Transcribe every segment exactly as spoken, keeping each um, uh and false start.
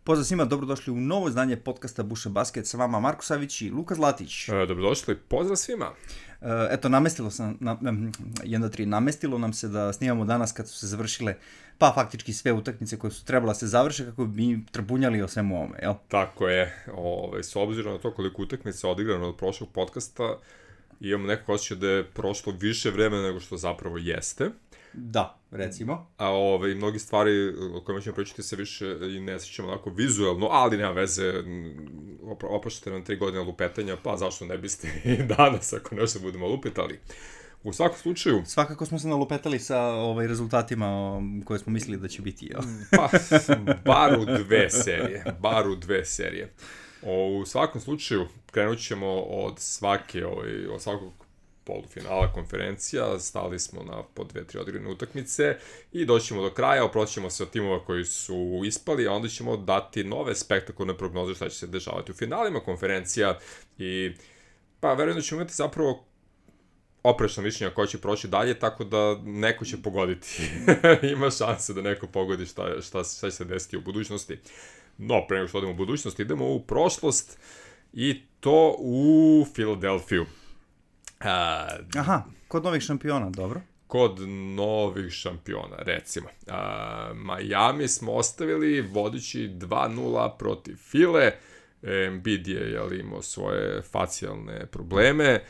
Pozdrav svima, dobrodošli u novo izdanje podcasta Buše Basket, sa vama Marko Savić i Luka Zlatić. E, dobrodošli, pozdrav svima. E, eto, namestilo sam, na, jedan, dva, tri, namestilo nam se da snimamo danas kad su se završile, pa faktički sve utakmice koje su trebala se završe kako bi mi trpunjali o svemu ovome, jel? Tako je, Ove, s obzirom na to koliko utakmice je odigrano od prošlog podcasta, imamo nekako osjećaj da je prošlo više vremena nego što zapravo jeste. Da, recimo. A ove, mnogi stvari o kojima ćemo pričati se više i ne sjećamo onako vizualno, ali nema veze, opraštate nam tri godine lupetanja, pa zašto ne biste i danas ako nešto budemo lupetali. U svakom slučaju... Svakako smo se nalupetali sa ovaj, rezultatima koje smo mislili da će biti. Jo. Pa, bar u dve serije, bar u dve serije. O, u svakom slučaju, krenut ćemo od svake, ovaj, od svakog polufinala konferencija, stali smo na po dve, tri odigrane utakmice i doćemo do kraja, oproćemo se od timova koji su ispali, a onda ćemo dati nove spektakularne prognoze šta će se dešavati u finalima konferencija i pa verujem da ćemo imati zapravo oprečna mišljenja ko će proći dalje, tako da neko će pogoditi. Ima šanse da neko pogodi šta, šta, šta će se desiti u budućnosti. No, pre nego što odemo u budućnost, idemo u prošlost i to u Filadelfiju. A, Aha, kod novih šampiona, dobro. Kod novih šampiona, recimo. A, Miami smo ostavili vodići dva nula protiv File. Embiid je jel, imao svoje facijalne probleme.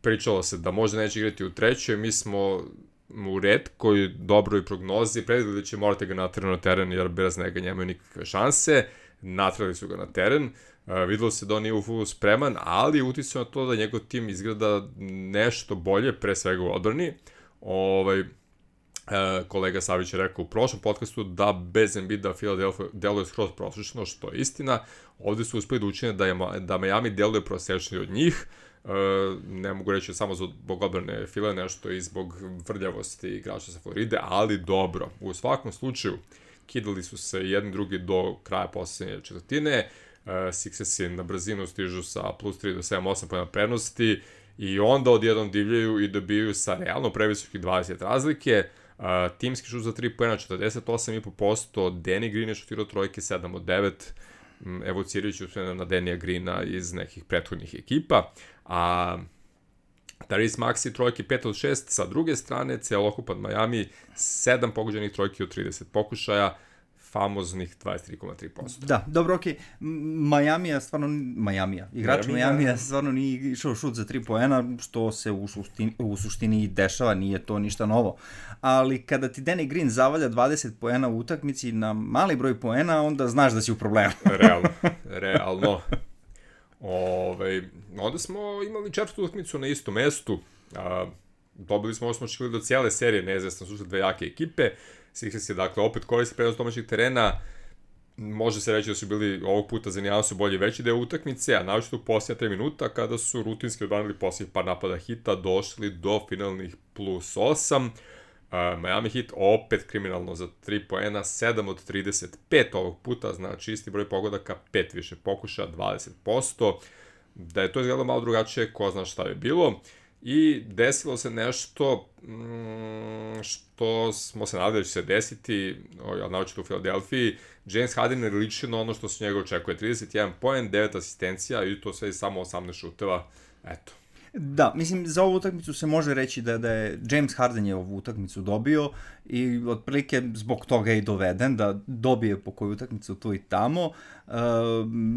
Pričalo se da možda neće igrati u trećoj. Mi smo u retkoj dobroj prognozi predvideli da će morati ga natrati na teren jer bez njega nemaju nikakve šanse. Natrali su ga na teren. Uh, videlo se da on nije u fullu spreman, ali uticao na to da njegov tim izgleda nešto bolje, pre svega u odbrani. Ovaj, uh, kolega Savić je rekao u prošlom podcastu da bez Embida Philadelphia deluje skroz prosečno, što je istina. Ovde su uspeli da učine da, je, da Miami deluje prosečniji od njih. Uh, ne mogu reći samo zbog odbrane File, nešto i zbog vrljavosti igrača sa Floride, ali dobro. U svakom slučaju, kidali su se jedni drugi do kraja poslednje četvrtine. Uh, Sixersi na brzinu stižu sa plus tri do sedam osam pojena prednosti i onda odjednom divljaju i dobiju sa realno previsokih dvadeset razlike. Uh, timski šut za tri pojena četrdeset osam zarez pet posto, Danny Green je šutirao trojke sedam od devet, um, evocirajući usmjena na Danija Greena iz nekih prethodnih ekipa. A Tyrese Maxey trojke pet od šest, sa druge strane celokupan Miami sedam pogođenih trojki od trideset pokušaja, famoznih dvadeset tri zarez tri posto. Da, dobro, okej. Okay. Miami stvarno, Miami igrač Miami stvarno nije išao šut za tri poena, što se u suštini, u suštini dešava, nije to ništa novo. Ali kada ti Danny Green zavalja dvadeset poena u utakmici na mali broj poena, onda znaš da si u problemu. Realno, realno. Ove, onda smo imali četvrtu utakmicu na istom mestu. A, dobili smo, ovo smo očekivali do cijele serije, neizvestan su dve jake ekipe. Sixers je, dakle, opet koristi prednost domaćeg terena. Može se reći da su bili ovog puta za nijansu bolje veći deo utakmice, a naočito u posljednja tri minuta, kada su rutinski odbranili posljednjih par napada Hita, došli do finalnih plus osam. Uh, Miami Heat opet kriminalno za tri poena, sedam od trideset pet ovog puta, znači isti broj pogodaka, pet više pokuša, dvadeset posto. Da je to izgledalo malo drugačije, ko zna šta je bilo. I desilo se nešto mm, što smo se nadali da će se desiti, naočito u Filadelfiji. James Harden je ličio na ono što se njega očekuje, trideset jedan poen, devet asistencija i to sve samo osamnaest šuteva, eto. Da, mislim, za ovu utakmicu se može reći da, da je James Harden je ovu utakmicu dobio i otprilike zbog toga je i doveden, da dobije po koju utakmicu tu i tamo. Uh,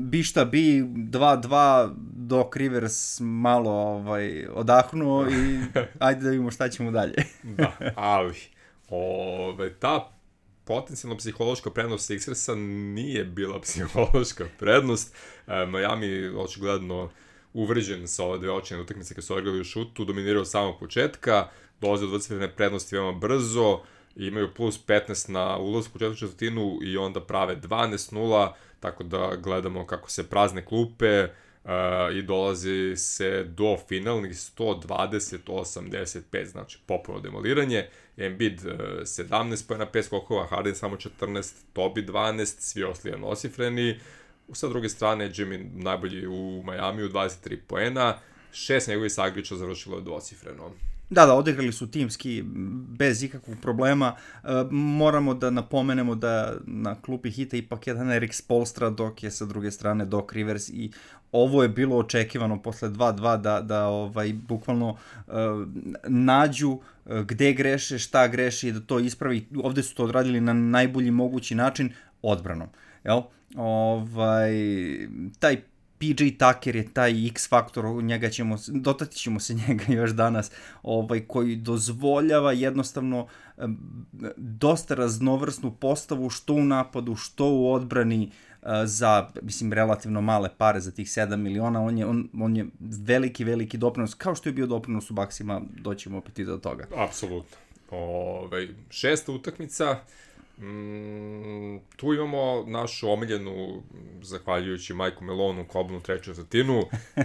bi šta bi, dva dva dok Rivers malo ovaj, odahnuo i ajde da vidimo šta ćemo dalje. Da, ali ove, ta potencijalno psihološka prednost Sixersa nije bila psihološka prednost. E, Miami očigledno uvređen sa ove dve očine utakmice kad su odigrali u šutu, dominirao od samog početka, dolaze od dvocifrene prednosti veoma brzo, imaju plus petnaest na ulazku u četvrtu četvrtinu i onda prave dvanaest nula, tako da gledamo kako se prazne klupe uh, i dolazi se do finalnih sto dvadeset osamdeset pet, znači popuno demoliranje. Embiid uh, sedamnaest pojena, pet skokova, Harden samo četrnaest, Tobi dvanaest, svi ostali jednocifreni. Sa druge strane, Jimmy najbolji u Miami u dvadeset tri poena, šest njegovih sagriča završilo je dvocifreno. Da, da, odigrali su timski bez ikakvog problema. E, moramo da napomenemo da na klupi Hita ipak jedan Erik Spoelstra, dok je sa druge strane Doc Rivers, i ovo je bilo očekivano posle dva dva da, da ovaj, bukvalno e, nađu gde greše, šta greše i da to ispravi. Ovde su to odradili na najbolji mogući način odbranom. Jel? Ovaj, taj P J Tucker je taj X faktor, njega ćemo, dotati ćemo se njega još danas, ovaj, koji dozvoljava jednostavno dosta raznovrsnu postavu, što u napadu, što u odbrani, za, mislim, relativno male pare, za tih sedam miliona, on je, on, on je veliki, veliki doprinos, kao što je bio doprinos u Baksima, doćemo opet i do toga. Apsolutno. Ove, šesta utakmica, Mm, tu imamo našu omiljenu, zahvaljujući Majku Melonu, kobnu treću četvrtinu. e,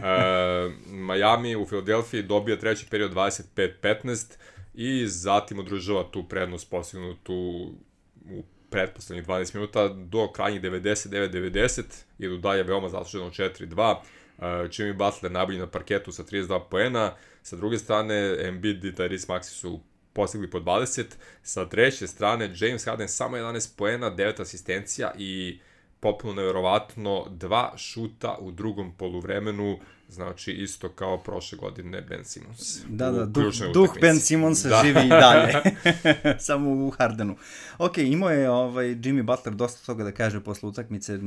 Miami u Filadelfiji dobija treći period dvadeset pet petnaest i zatim održava tu prednost postignutu u pretposlednjih dvanaest minuta do krajnjih devedeset devet devedeset, idu dalje veoma zasluženo četiri dva. e, Jimmy Butler najbolji na parketu sa trideset dva poena, sa druge strane Embiid i Tyrese Maxey su postigli po dvadeset, sa treće strane James Harden samo jedanaest poena, devet asistencija i potpuno neverovatno dva šuta u drugom poluvremenu, znači isto kao prošle godine Ben Simmons. Da, da, duh, duh Ben Simmonsa da. Živi i dalje, samo u Hardenu. Ok, imao je ovaj, Jimmy Butler dosta toga da kaže posle utakmice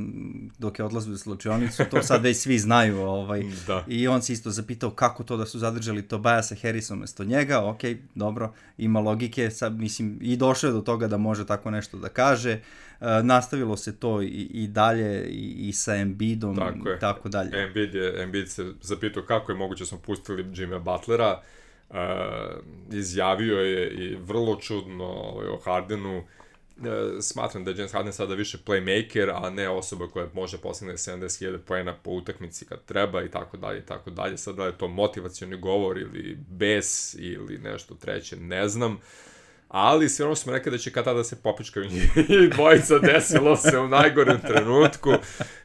dok je odlazio u slučionicu, to sad već svi znaju, ovaj, da. I on se isto zapitao kako to da su zadržali Tobiasa Harrisa umesto njega. Ok, dobro, ima logike, sad, mislim, i došao je do toga da može tako nešto da kaže. Uh, nastavilo se to i, i dalje i, i sa Embiidom, tako, tako dalje. Embiid, je, Embiid se zapitao kako je moguće da smo pustili Jimmy Butlera, uh, izjavio je i vrlo čudno ovaj, o Hardenu. Uh, smatram da je James Harden sada više playmaker, a ne osoba koja može postigne sedamdeset hiljada poena po utakmici kad treba i tako dalje i tako dalje. Sada je to motivacioni govor ili bes ili nešto treće, ne znam. Ali sve ono smo rekli da će kad tada se popičkaju njih dvojica, desilo se u najgorem trenutku,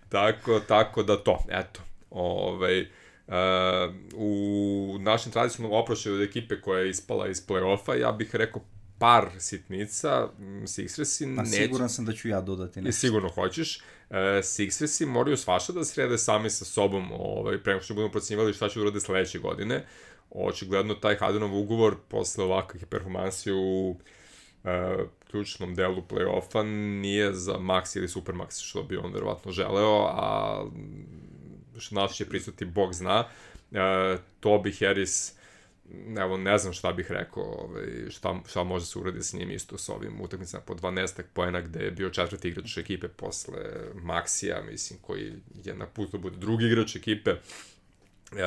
tako, tako da to, eto, ovaj, uh, u našem tradicionalnom oprošaju od ekipe koja je ispala iz play-offa, ja bih rekao par sitnica, Sixersi neće... A siguran sam da ću ja dodati nešto. I sigurno hoćeš. Uh, Sixersi moraju svašta da srede sami sa sobom, ovaj, prema što budemo procenjivali šta će urade sledeće godine. Očigledno taj Hardenov ugovor posle ovakvih performansi u uh, ključnom delu play-offa nije za Max ili Supermax, što bi on verovatno želeo, a što nas će prisuti, Bog zna. Uh, Toby Harris, evo, ne znam šta bih rekao, ovaj, šta, šta može se uradi s njim isto s ovim utakmicama po dvanaest poena, gde je bio četvrti igrač ekipe posle Maxija, mislim, koji je na putu da bude drugi igrač ekipe. Uh,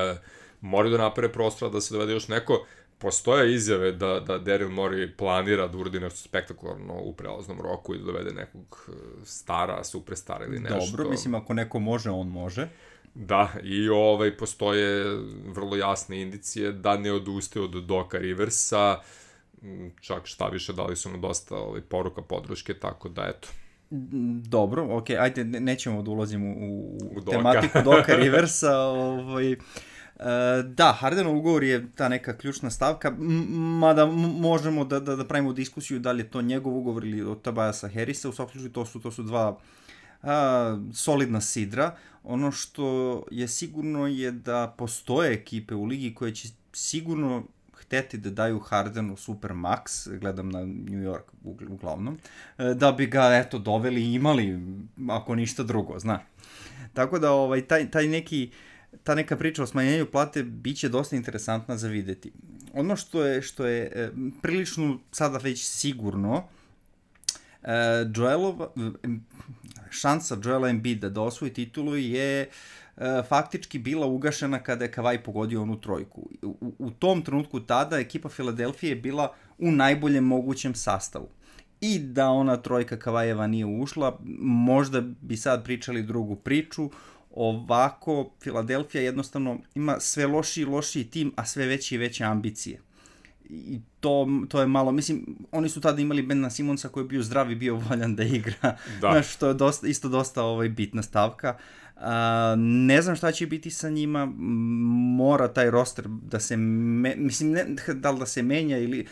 moraju da naprave prostora da se dovede još neko. Postoje izjave da, da Daryl Morey planira da uradi nešto spektakularno u prelaznom roku i da dovede nekog stara, superstara ili nešto. Dobro, mislim, ako neko može, on može. Da, i ovaj, postoje vrlo jasne indicije da ne odustaje od Doca Riversa, čak šta više, dali su mu dosta ovaj, poruka podrške, tako da eto. Dobro, ok, ajde, nećemo da ulazimo u, u tematiku Doca Riversa, ovaj... Uh, da, Hardenov ugovor je ta neka ključna stavka, mada možemo da, da, da pravimo diskusiju da li je to njegov ugovor ili od Tobiasa Harrisa. U svakom slučaju to su, to su dva uh, solidna sidra. Ono što je sigurno je da postoje ekipe u ligi koje će sigurno hteti da daju Hardenu Supermax, gledam na New York uglavnom, da bi ga eto doveli i imali, ako ništa drugo, zna. Tako da ovaj, taj, taj neki ta neka priča o smanjenju plate biće dosta interesantna za videti. Ono što je, što je e, prilično sada već sigurno, e, Joelova, šansa Joela Embida da osvoji titulu je e, faktički bila ugašena kada je Kawhi pogodio onu trojku. U, u tom trenutku tada ekipa Filadelfije je bila u najboljem mogućem sastavu. I da ona trojka Kawhieva nije ušla, možda bi sad pričali drugu priču. Ovako, Filadelfija jednostavno ima sve lošiji i lošiji tim, a sve veće i veće ambicije. i to, to je malo, mislim, oni su tada imali Bena Simonsa koji je bio zdrav i bio voljan da igra, da. Znaš, to je dosta, isto dosta ovaj, bitna stavka. Uh, ne znam šta će biti sa njima, mora taj roster da se, me, mislim, ne, da li da se menja ili...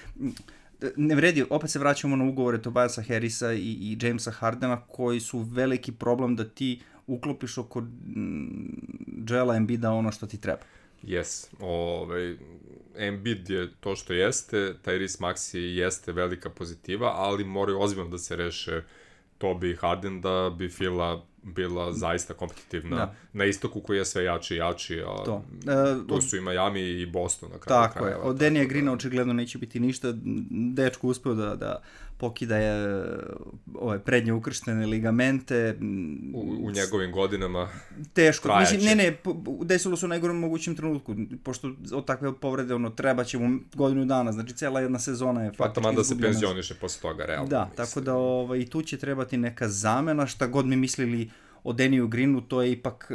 Ne vredi, opet se vraćamo na ugovore Tobiasa Harrisa i, i Jamesa Hardena koji su veliki problem da ti uklopiš oko Joela Embida ono što ti treba. Yes, ovaj, Embiid je to što jeste, Tyrese Maxey jeste velika pozitiva, ali moraju ozbiljno da se reše Tobi i Harden da bi Fila bila zaista kompetitivna da. Na istoku koji je sve jači i jači, a to, uh, tu su i Miami i Boston na kraju. Tako krajeva, je, od Denija da... Greena očigledno neće biti ništa, dečko uspeo da, da pokida je ove prednje ukrštene ligamente. U, u njegovim godinama teško, mislim, ne, ne, desilo se u najgorem mogućem trenutku, pošto od takve povrede ono, treba će mu godinu dana, znači cela jedna sezona je faktički izgubljena. Pa da se penzioniše posle toga, realno. Da, mislim. Tako da ovaj, i tu će trebati neka zamena, šta god mi mislili o Deniju Greenu, to je ipak e,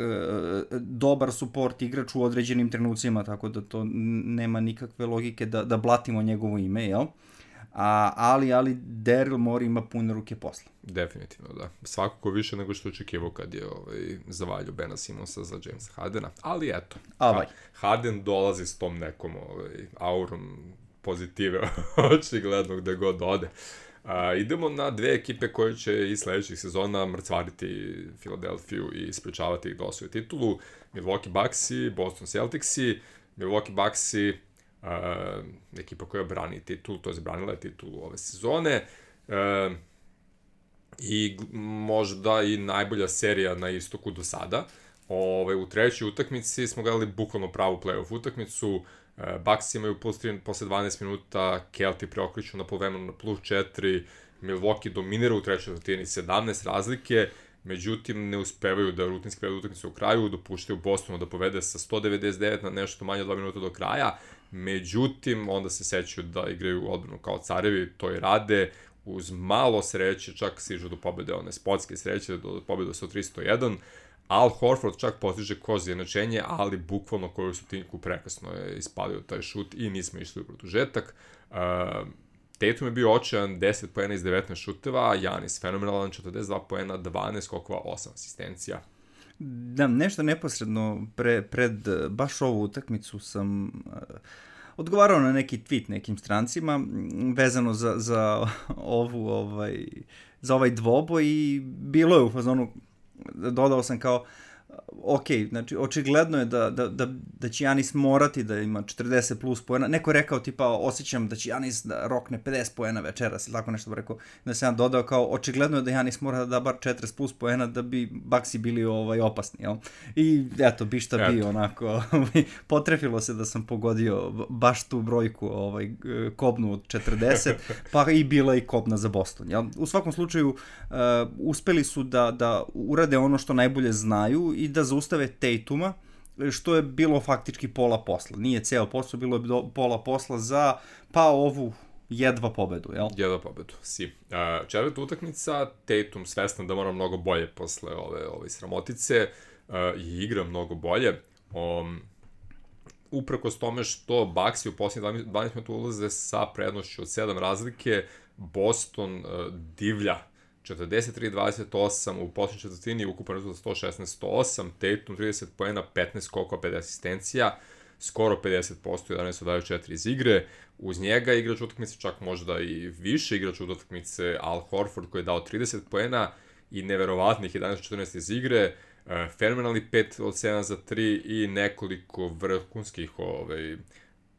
dobar support igrač u određenim trenucima, tako da to nema nikakve logike da, da blatimo njegovo ime, jel? A, ali, ali Daryl Morey ima pune ruke posla. Definitivno, da. Svakako više nego što očekivao kad je ovaj, zavalju Bena Simonsa za Jamesa Hardena, ali eto, Avaj. Harden dolazi s tom nekom ovaj, aurom pozitive, očigledno gde god ode. Uh, idemo na dve ekipe koje će i sledećih sezona mrcvariti Filadelfiju i sprečavati ih da osvoje titulu. Milwaukee Bucksi, Boston Celticsi. Milwaukee Bucksi, uh, ekipa koja brani titulu, to je branila je titulu ove sezone. Uh, I možda i najbolja serija na istoku do sada. Ove, u trećoj utakmici smo gledali bukvalno pravu play-off utakmicu. Bucks imaju plus tri posle dvanaest minuta, Kelti preokriču na polovremenu na plus četiri, Milwaukee dominira u trećoj četvrtini sedamnaest razlike, međutim ne uspevaju da rutinski prevedu utakmicu u kraju, dopuštaju Bostonu da povede sa sto devedeset devet na nešto manje od dva minuta do kraja, međutim onda se sećaju da igraju odbranu kao carevi, to i rade, uz malo sreće, čak stižu do pobede, one spotske sreće, do pobede sto tri sto jedan, Al Horford čak postiže koš za jednačenje, ali bukvalno koju su tinku prekasno je ispalio taj šut i nismo išli u produžetak. Uh, Tatum je bio očajan, deset poena iz devetnaest šuteva, Giannis fenomenalan, četrdeset dva poena, dvanaest skokova, osam asistencija. Da, nešto neposredno pre, pred baš ovu utakmicu sam... Uh... odgovarao na neki tweet nekim strancima vezano za, za ovu ovaj za ovaj dvoboj i bilo je u fazonu, dodao sam kao ok, znači očigledno je da, da, da, da će Giannis morati da ima četrdeset plus poena. Neko je rekao tipa osjećam da će Giannis da rokne pedeset poena večeras ili tako nešto bi rekao. Da sam ja dodao kao očigledno je da Giannis mora da da bar četrdeset plus poena da bi Bucksi bili ovaj, opasni. Jel? I eto, bi šta bi onako. Potrefilo se da sam pogodio baš tu brojku ovaj, kobnu od četrdeset, pa i bila i kobna za Boston. Jel? U svakom slučaju uh, uspeli su da, da urade ono što najbolje znaju i da zaustave Tatuma, što je bilo faktički pola posla. Nije ceo posao, bilo je do, pola posla za pa ovu jedva pobedu, jel? Jedva pobedu, si. Uh, četvrta utakmica, Tatum svestan da mora mnogo bolje posle ove, ove sramotice uh, i igra mnogo bolje. Um, uprkos tome što Bucksi u posljednjih dvanaest minuta ulaze sa prednošću od sedam razlike, Boston uh, divlja četrdeset tri dvadeset osam u posljednjoj četvrtini, ukupan rezultat sto šesnaest sto osam, Tatum trideset poena, petnaest skokova, pedeset asistencija, skoro pedeset posto, jedanaest od dvadeset četiri iz igre. Uz njega igrač utakmice, čak možda i više igrač utakmice, Al Horford koji je dao trideset poena i neverovatnih jedanaest od četrnaest iz igre, fenomenalni pet od sedam za tri i nekoliko vrhunskih ovaj,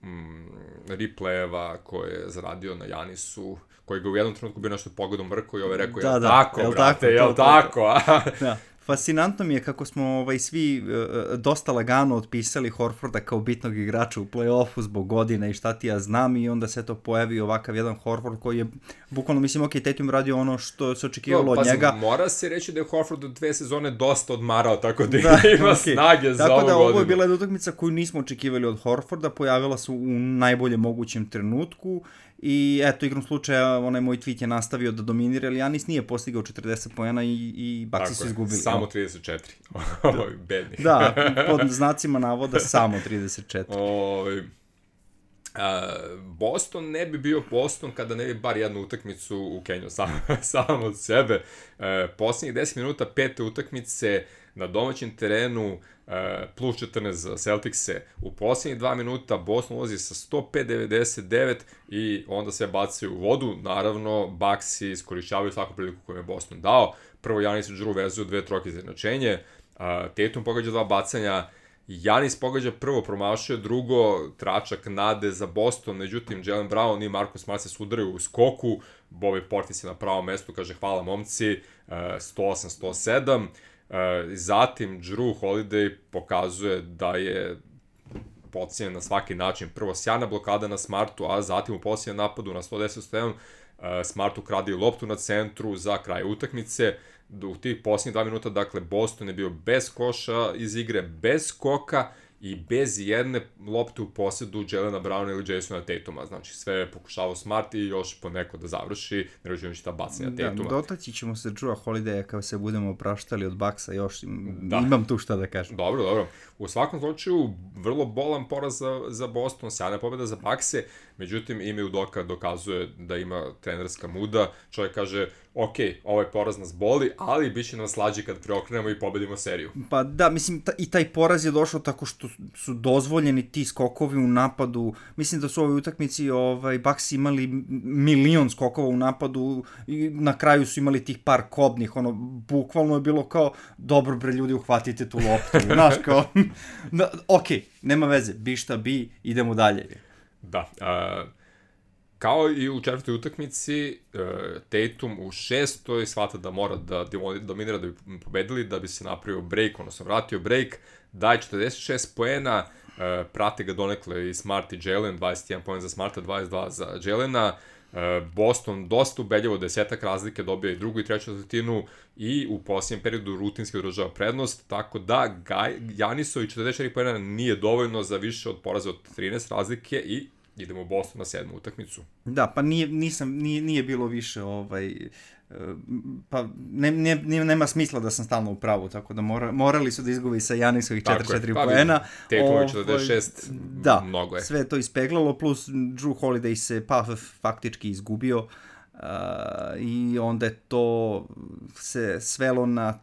mm, replayeva koje je zaradio na Giannisu, koji ga u jednom trenutku bio nešto pogodom vrko i ovaj rekao, da, jel da, tako, jel brate, tako, jel to, tako? Da. Fascinantno mi je kako smo ovaj, svi uh, dosta lagano otpisali Horforda kao bitnog igrača u play-offu zbog godine i šta ti ja znam i onda se to pojavi ovakav jedan Horford koji je bukvalno, mislim, ok, Tatum radio ono što se očekivalo no, od njega. Pa mora se reći da je Horford u dve sezone dosta odmarao, tako da, da ima okay. snage za tako ovu da, godinu. Tako da ovo je bila jedna utakmica koju nismo očekivali od Horforda, pojavila se u najboljem mogućem trenutku. I eto, igrom slučaja, onaj moj tweet je nastavio da dominira, ali Giannis nije postigao četrdeset poena i, i Bucksi su izgubili. Samo trideset četiri. Ovo je bednih. Da, pod znacima navoda samo trideset četiri. O, Uh, Boston ne bi bio Boston kada ne bi bar jednu utakmicu u Kenju sam, sam od sebe. Uh, posljednjih deset minuta pete utakmice na domaćem terenu, uh, plus četrnaest za Celticse. U posljednjih dva minuta Boston ulazi sa sto pet devedeset devet i onda sve bacaju u vodu. Naravno, Bucksi iskorišćavaju svaku priliku koju je Boston dao. Prvo Giannis i Jrue vezuju dve trojke za jednačenje. Uh, Tatum pogađa dva bacanja. Giannis pogađa prvo, promašuje drugo, tračak nade za Boston, međutim Jaylen Brown i Marcus Smart se sudaraju u skoku, Bobby Portis je na pravom mestu, kaže hvala momci, sto osam sto sedam, zatim Jrue Holiday pokazuje da je podcijenjen na svaki način, prvo sjajna blokada na Smartu, a zatim u posljednjem napadu na sto deset sto jedan Smart ukradi loptu na centru za kraj utakmice. U tih posljednjih dva minuta, dakle, Boston je bio bez koša iz igre, bez skoka i bez jedne lopte u posjedu Jaylena Browna ili Jasona Tatuma. Znači, sve je pokušavao Smart i još poneko da završi, ne računajući ta bacanja da, Tatuma. Dotaći ćemo se Jrua Holidaya kao se budemo opraštali od Bucksa još. Da. Imam tu šta da kažem. Dobro, dobro. U svakom slučaju, vrlo bolan poraz za, za Boston, sjajna pobjeda za Buckse, međutim, Ime Udoka dokazuje da ima trenerska muda. Čovjek kaže, ok, ovaj poraz nas boli, ali bit će nam slađi kad preokrenemo i pobedimo seriju. Pa da, mislim, ta, i taj poraz je došao tako što su dozvoljeni ti skokovi u napadu. Mislim da su u ovoj utakmici ovaj, Bucks imali milion skokova u napadu i na kraju su imali tih par kobnih, ono, bukvalno je bilo kao, dobro bre ljudi, uhvatite tu loptu, znaš, kao, da, ok, nema veze, bi šta bi, idemo dalje. Da, uh... Kao i u četvrtoj utakmici, Tatum u šestoj shvata da mora da dominira da bi pobedili, da bi se napravio break, odnosno vratio break, daje četrdeset šest poena, prate ga donekle i Smart i Jaylen, dvadeset jedan poen za Smarta, dvadeset dva za Jaylena, Boston dosta ubedljivo, desetak razlike, dobija i drugu i treću četvrtinu i u posljednjem periodu rutinski održava prednost, tako da Giannisovi četrdeset četiri poena nije dovoljno za više od poraza od trinaest razlike i idemo u Boston na sedmu utakmicu. Da, pa nije, nisam, nije, nije bilo više, ovaj, pa ne, ne, nema smisla da sam stalno u pravu, tako da mora, morali su da izgubi sa Giannisovih četrdeset četiri pa, poena. Tatum četrdeset šest, da, mnogo je. Sve je to ispeglalo, plus Jrue Holiday se pa faktički izgubio uh, i onda je to se svelo na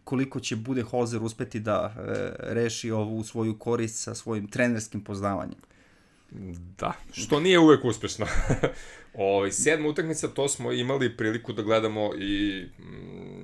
koliko će Budenholzer uspeti da uh, reši ovu svoju korist sa svojim trenerskim poznavanjem. Da, što nije uvek uspešno. Ovi, sedma utakmica, to smo imali priliku da gledamo i mm,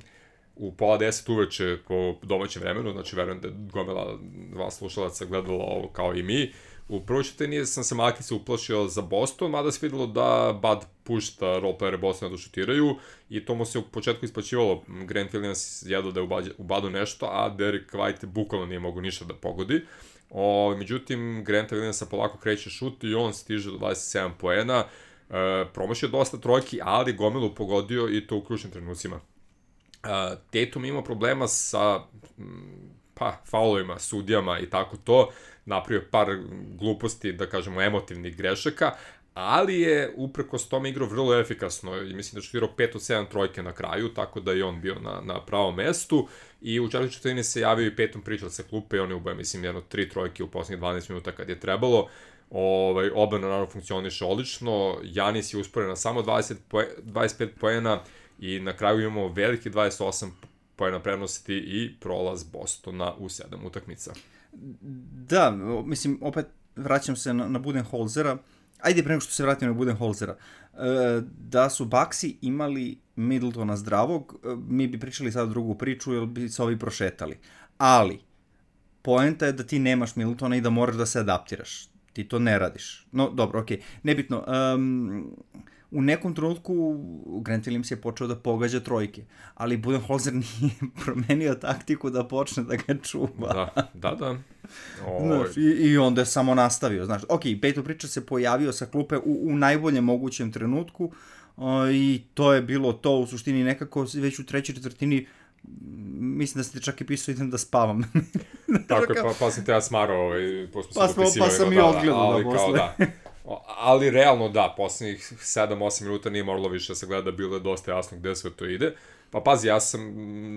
u pola deset uveče po domaćem vremenu, znači verujem da je gomila dva slušalaca gledala ovo kao i mi. U prvoj četvrtini sam se malaki se uplašio za Boston, mada se videlo da Bud pušta roleplayere Bostona da šutiraju i to mu se u početku isplaćivalo. Grant Williams jedao da je u Budu nešto, a Derek White bukvalno nije mogo ništa da pogodi. O, međutim, Granta Williamsa polako kreće šut i on stiže do dvadeset sedam poena. E, promašio dosta trojki, ali gomilu pogodio i to u ključnim trenucima. E, Tatum ima problema sa pa, faulovima, sudijama i tako to. Napravio par gluposti, da kažemo, emotivnih grešaka, ali je uprkos tome igrao vrlo efikasno i mislim da šutirao pet od sedam trojke na kraju, tako da je on bio na, na pravom mestu i u četvrtoj četvrtini se javio i Petom Pritchard sa klupe i on je ubao, mislim, jedno tri trojke u posljednjih dvanaest minuta kad je trebalo. Ovaj, obrana naravno funkcioniše odlično, Giannis je usporen na samo dvadeset poe, dvadeset pet poena i na kraju imamo veliki dvadeset osam poena prednosti i prolaz Bostona u sedam utakmica. Da, mislim, opet vraćam se na, na Budenholzera. Ajde, pre nego što se vratim na Budenholzera. E, da su Bucksi imali Middletona zdravog, mi bi pričali sad drugu priču, jer bi se ovi prošetali. Ali, poenta je da ti nemaš Middletona i da moraš da se adaptiraš. Ti to ne radiš. No, dobro, okej. Okay. Nebitno. Um, u nekom trenutku Grant Williams je počeo da pogađa trojke, ali Budenholzer nije promenio taktiku da počne da ga čuva. Da, da, da. Znaš, i, I onda je samo nastavio. Znaš, ok, Peyton Pritchard se pojavio sa klupe u, u najboljem mogućem trenutku o, i to je bilo to u suštini nekako već u trećoj četvrtini. Mislim da ste čak i pisao idem da spavam. Tako je, pa, pa sam te ja smarao ovaj, pa, smo, pa sam i odgledao da, ali, kao, da. ali realno da, poslednjih sedam osam minuta nije moralo više da se gleda, bilo je dosta jasno gde sve to ide. Pa pazi, ja sam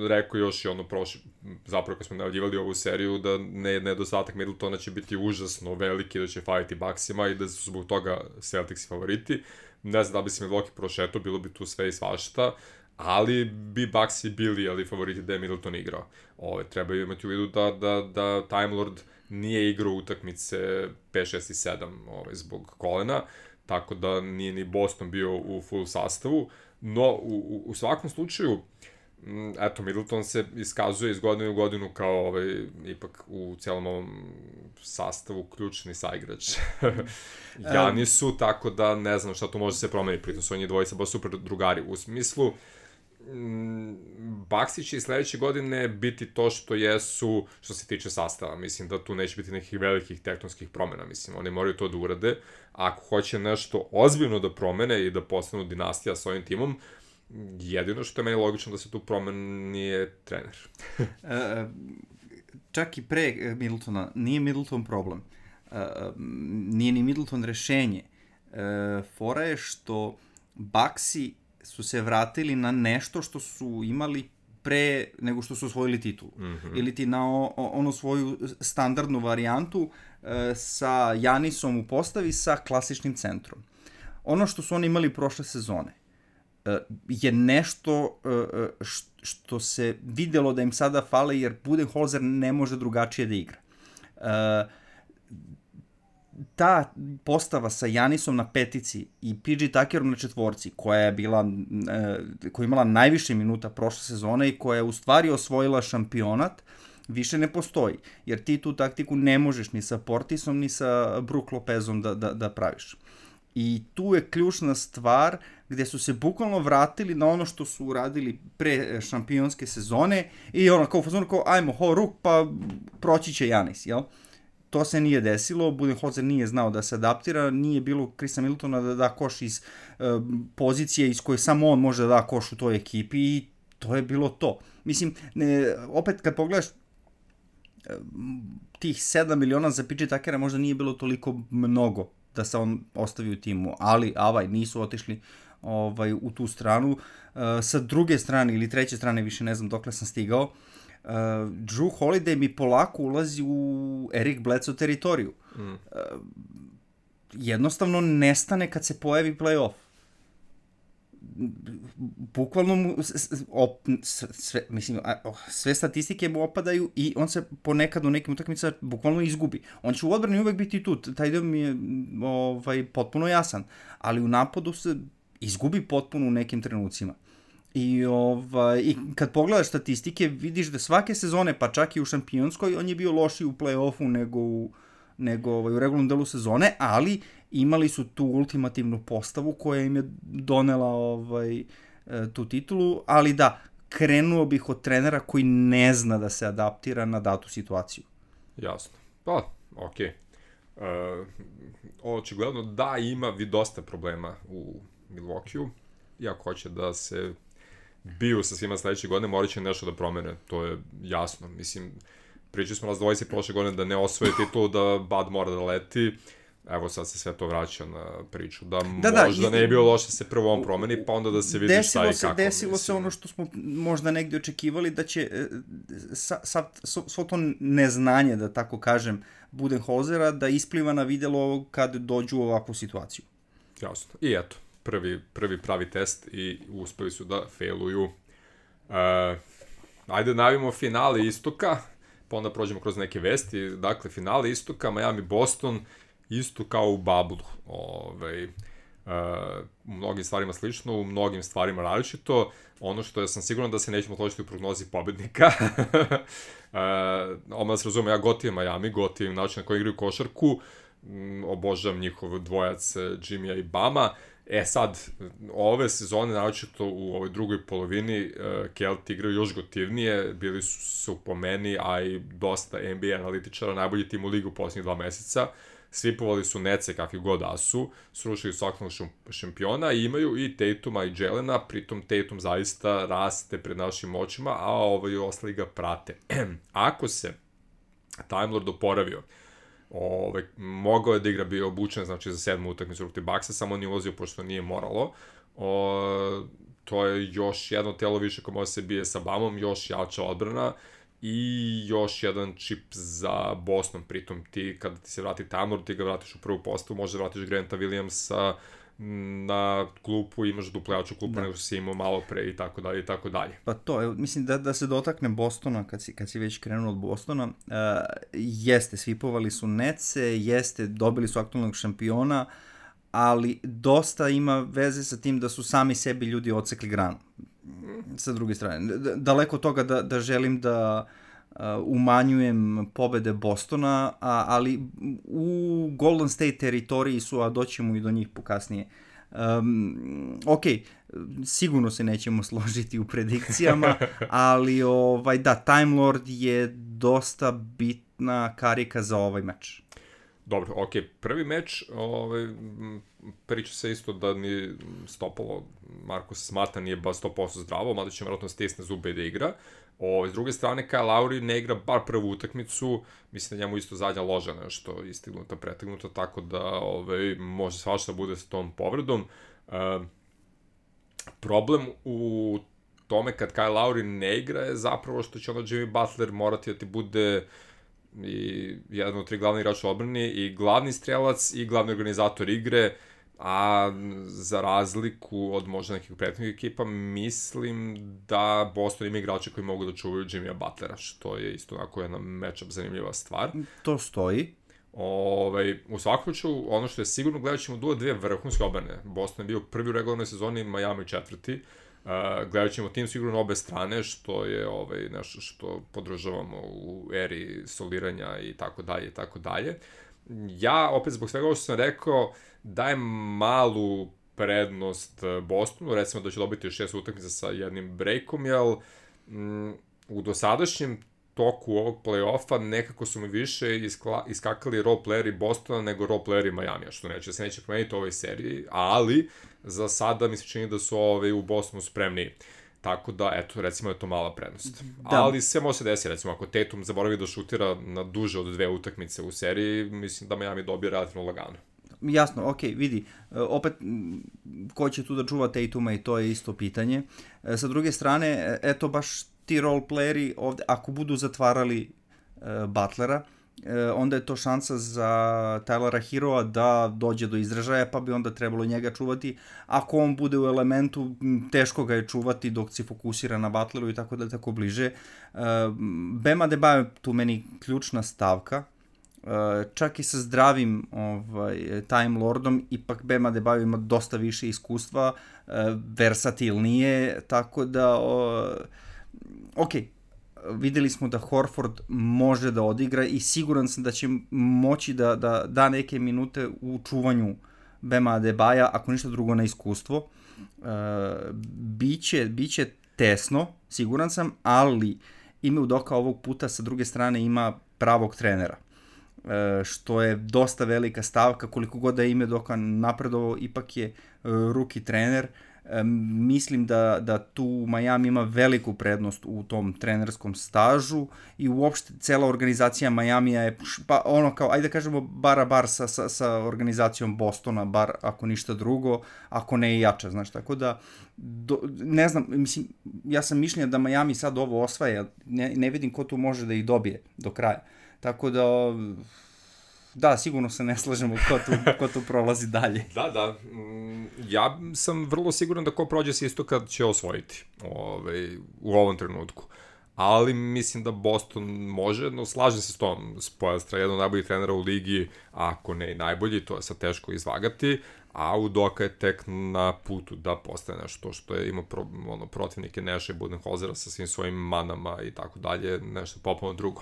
rekao još i ono prošli, zapravo kad smo najavljivali ovu seriju, da ne, nedostatak Middletona će biti užasno veliki, da će fajiti Bucksima i da su zbog toga Celtics favoriti. Ne znam da bi se Milwaukee prošetao, bilo bi tu sve i svašta, ali bi Bucksi bili ali favoriti da je Middleton igrao. Ove, treba imati u vidu da, da, da Time Lord nije igrao utakmice pet, šest i sedam ove, zbog kolena, tako da nije ni Boston bio u full sastavu, no u, u svakom slučaju, eto, Middleton se iskazuje iz godine u godinu kao ovaj, ipak u celom ovom sastavu ključni saigrač. Janisu, tako da ne znam šta tu može se promeniti, pritom su oni dvojica baš super drugari, u smislu Bucksi će i sledeće godine biti to što jesu što se tiče sastava. Mislim da tu neće biti nekih velikih tektonskih promena. Mislim, oni moraju to da urade. Ako hoće nešto ozbiljno da promene i da postanu dinastija s ovim timom, jedino što je meni logično da se tu promeni je trener. Čak i pre Middletona nije Middleton problem. Nije ni Middleton rešenje. Fora je što Bucksi su se vratili na nešto što su imali pre nego što su osvojili titulu. Mm-hmm. Ili ti na o, ono svoju standardnu varijantu e, sa Janisom u postavi sa klasičnim centrom. Ono što su oni imali prošle sezone e, je nešto e, što se videlo da im sada fale jer Budenholzer ne može drugačije da igra. E, ta postava sa Janisom na petici i P J Tuckerom na četvorci, koja je bila, e, koja je imala najviše minuta prošle sezone i koja je u stvari osvojila šampionat, više ne postoji. Jer ti tu taktiku ne možeš ni sa Portisom, ni sa Brook Lopezom da, da, da praviš. I tu je ključna stvar gde su se bukvalno vratili na ono što su uradili pre šampionske sezone i ono kao fazonu kao ajmo ho ruk pa proći će Janis, jel? To se nije desilo, Budenholzer nije znao da se adaptira, nije bilo Chrisa Middletona da da koš iz uh, pozicije iz koje samo on može da da koš u toj ekipi i to je bilo to. Mislim, ne, opet kad pogledaš uh, tih sedam miliona za P J Tuckera možda nije bilo toliko mnogo da se on ostavi u timu, ali avaj, nisu otišli ovaj, u tu stranu. Uh, sa druge strane ili treće strane, više ne znam dokle sam stigao, Uh, Drew Holiday mi polako ulazi u Eric Bledsoe teritoriju. Mm. Uh, jednostavno nestane kad se pojavi play-off. Bukvalno mu op, sve, mislim, sve statistike mu opadaju i on se ponekad u nekim utakmicama bukvalno izgubi. On će u odbrani uvek biti tu, taj dio mi je ovaj, potpuno jasan, ali u napadu se izgubi potpuno u nekim trenucima. I, ovaj, I kad pogledaš statistike, vidiš da svake sezone, pa čak i u šampionskoj, on je bio lošiji u play-offu nego u, nego, ovaj, u regularnom delu sezone, ali imali su tu ultimativnu postavu koja im je donela ovaj, tu titulu, ali da, krenuo bih od trenera koji ne zna da se adaptira na datu situaciju. Jasno. Pa, okej. Okay. Uh, očigledno da ima vi dosta problema u Milwaukee, iako hoće da se bio sa svima sledeće godine, morat će nešto da promene, to je jasno. Mislim, pričali smo nas dvojice prošle godine da ne osvoje titulu, da Bud mora da leti, evo sad se sve to vraća na priču, da, da možda da, ne je bilo loše da se prvo on promeni, pa onda da se vidi šta i se, kako. Desilo mislim. se ono što smo možda negdje očekivali, da će sa, sa, svo to neznanje, da tako kažem, Budenholzera, da ispliva na videlo kad dođu u ovakvu situaciju. Jasno. I eto, prvi, prvi pravi test i uspeli su da failuju. Uh, ajde navimo finale istoka, pa onda prođemo kroz neke vesti. Dakle, finale istoka, Miami-Boston, isto kao u bablu. Ove, uh, u mnogim stvarima slično, u mnogim stvarima različito. Ono što ja sam siguran da se nećemo složiti u prognozi pobednika. uh, Oma da se razume, ja gotivim Miami, gotivim način na koji igraju košarku. Um, obožavam njihov dvojac Jimmya i Bama. E sad, ove sezone, naročito u ovoj drugoj polovini, uh, Kelti igraju još gotivnije, bili su, su po meni, a i dosta N B A analitičara, najbolji tim u ligu u posljednjih dva meseca. Svipovali su Nece kakvi god da su, srušili svakog šampiona i imaju i Tatuma i Jelena, pritom Tatum zaista raste pred našim očima, a ovaj ostali ga prate. Ako se Time Lord oporavio, Ove, mogao je da igra, bio obučen, znači za sedmu utakmicu protiv Bucksa, samo nije ulazio pošto nije moralo. O, to je još jedno telo više koje može se bije sa Bamom, još jača odbrana i još jedan čip za Boston. Pritom ti, kada ti se vrati Tanner, ti ga vratiš u prvu postavu, možda vratiš Granta Williamsa na klupu, imaš duplejaču klupu, da, nego si imao malo pre i tako dalje i tako dalje. Pa to, evo, mislim da, da se dotakne Bostona, kad si, kad si već krenuo od Bostona, uh, jeste, svipovali su Netse, jeste, dobili su aktualnog šampiona, ali dosta ima veze sa tim da su sami sebi ljudi odsekli granu. Sa druge strane, daleko toga da, da želim da uh, umanjujem pobede Bostona, a, ali u Golden State teritoriji su, a doćemo i do njih pokasnije. Um, ok, sigurno se nećemo složiti u predikcijama, ali ovaj, da, Time Lord je dosta bitna karika za ovaj meč. Dobro, ok, prvi meč, ovaj, priča se isto da ni stopalo Marcus Smarta nije ba sto posto zdravo, mada će vjerojatno stisne zube i da igra. O, s druge strane, Kyle Lowry ne igra bar prvu utakmicu, mislim da njemu isto zadnja loža nešto istignuta, pretegnuta, tako da ovaj, može svašta bude sa tom povredom. E, problem u tome kad Kyle Lowry ne igra je zapravo što će onda Jimmy Butler morati da ti bude i jedan od tri glavni igrača u odbrani i glavni strelac i glavni organizator igre, a za razliku od možda nekih prethodnih ekipa, mislim da Boston ima igrače koji mogu da čuvaju Jimmya Butlera, što je isto onako jedna matchup zanimljiva stvar. To stoji. Ovaj, u svakom slučaju, ono što je sigurno, gledat ćemo duo dve vrhunske odbrane. Boston je bio prvi u regularnoj sezoni, Miami četvrti. Uh, gledat ćemo tim sigurno obe strane, što je ovaj, nešto što podržavamo u eri soliranja i tako dalje i tako dalje. Ja, opet zbog svega ovo što sam rekao, dajem malu prednost Bostonu, recimo da će dobiti šest utakmica sa jednim breakom, jer mm, u dosadašnjem toku ovog play-offa nekako su mi više iskla, iskakali roleplayeri Bostona nego roleplayeri Miamija, što neće se neće promeniti u ovoj seriji, ali za sada mi se čini da su ove u Bostonu spremni. Tako da, eto, recimo je to mala prednost. Da. Ali sve može se desiti, recimo, ako Tatum zaboravi da šutira na duže od dve utakmice u seriji, mislim da Miami dobije relativno lagano. Jasno, ok, vidi, opet, ko će tu da čuva Tatuma i to je isto pitanje. Sa druge strane, eto baš ti roleplayeri ovde, ako budu zatvarali uh, Butlera, onda je to šansa za Tylera Heroa da dođe do izražaja, pa bi onda trebalo njega čuvati. Ako on bude u elementu, teško ga je čuvati dok se fokusira na Butleru i tako da tako bliže. Bam Adebayo je tu meni ključna stavka. Čak i sa zdravim ovaj, Time Lordom, ipak Bam Adebayo ima dosta više iskustva, versatilnije, tako da ok, videli smo da Horford može da odigra i siguran sam da će moći da da, da neke minute u čuvanju Bama Adebaja, ako ništa drugo na iskustvo. Uh, biće, biće tesno, siguran sam, ali Ime Udoka ovog puta sa druge strane ima pravog trenera, uh, što je dosta velika stavka. Koliko god da je Ime Udoka napredovao, ipak je uh, rookie trener. Mislim da, da tu Miami ima veliku prednost u tom trenerskom stažu i uopšte cela organizacija Miamija je pa ono kao, ajde da kažemo, bara bar sa, sa, sa organizacijom Bostona, bar ako ništa drugo, ako ne i jača, znaš, tako da do, ne znam, mislim, ja sam mišljenja da Miami sad ovo osvaja, ne, ne vidim ko tu može da ih dobije do kraja, tako da da, sigurno se ne slažemo ko tu, ko tu prolazi dalje. Da, da. Ja sam vrlo siguran da ko prođe s istoka će osvojiti ovaj, u ovom trenutku. Ali mislim da Boston može, no slažem se s tom. Spoelstra je jedan od najboljih trenera u ligi, ako ne i najbolji, to je sad teško izvagati, a Udoka je tek na putu da postane nešto što je imao pro, ono, protivnike Neša i Budenholzera sa svim svojim manama i tako dalje, nešto popolno drugo.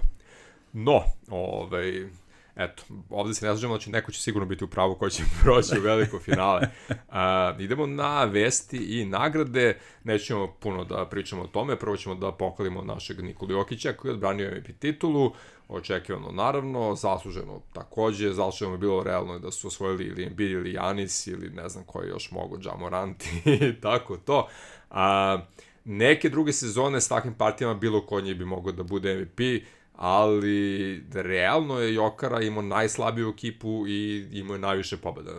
No, ovaj... Eto, ovde se ne slažemo, znači neko će sigurno biti u pravu ko će proći u veliko finale. Uh, idemo na vesti i nagrade, nećemo puno da pričamo o tome, prvo ćemo da pohvalimo našeg Nikolu Jokića koji je odbranio M V P titulu, očekivano naravno, zasluženo takođe, zasluženo je bilo realno da su osvojili ili Embiid ili Giannis ili ne znam koji još mogu, Ja Morant i tako to. Uh, neke druge sezone s takvim partijama bilo ko njih bi mogao da bude M V P, ali realno je Jokara imao najslabiju ekipu i imao je najviše pobjeda,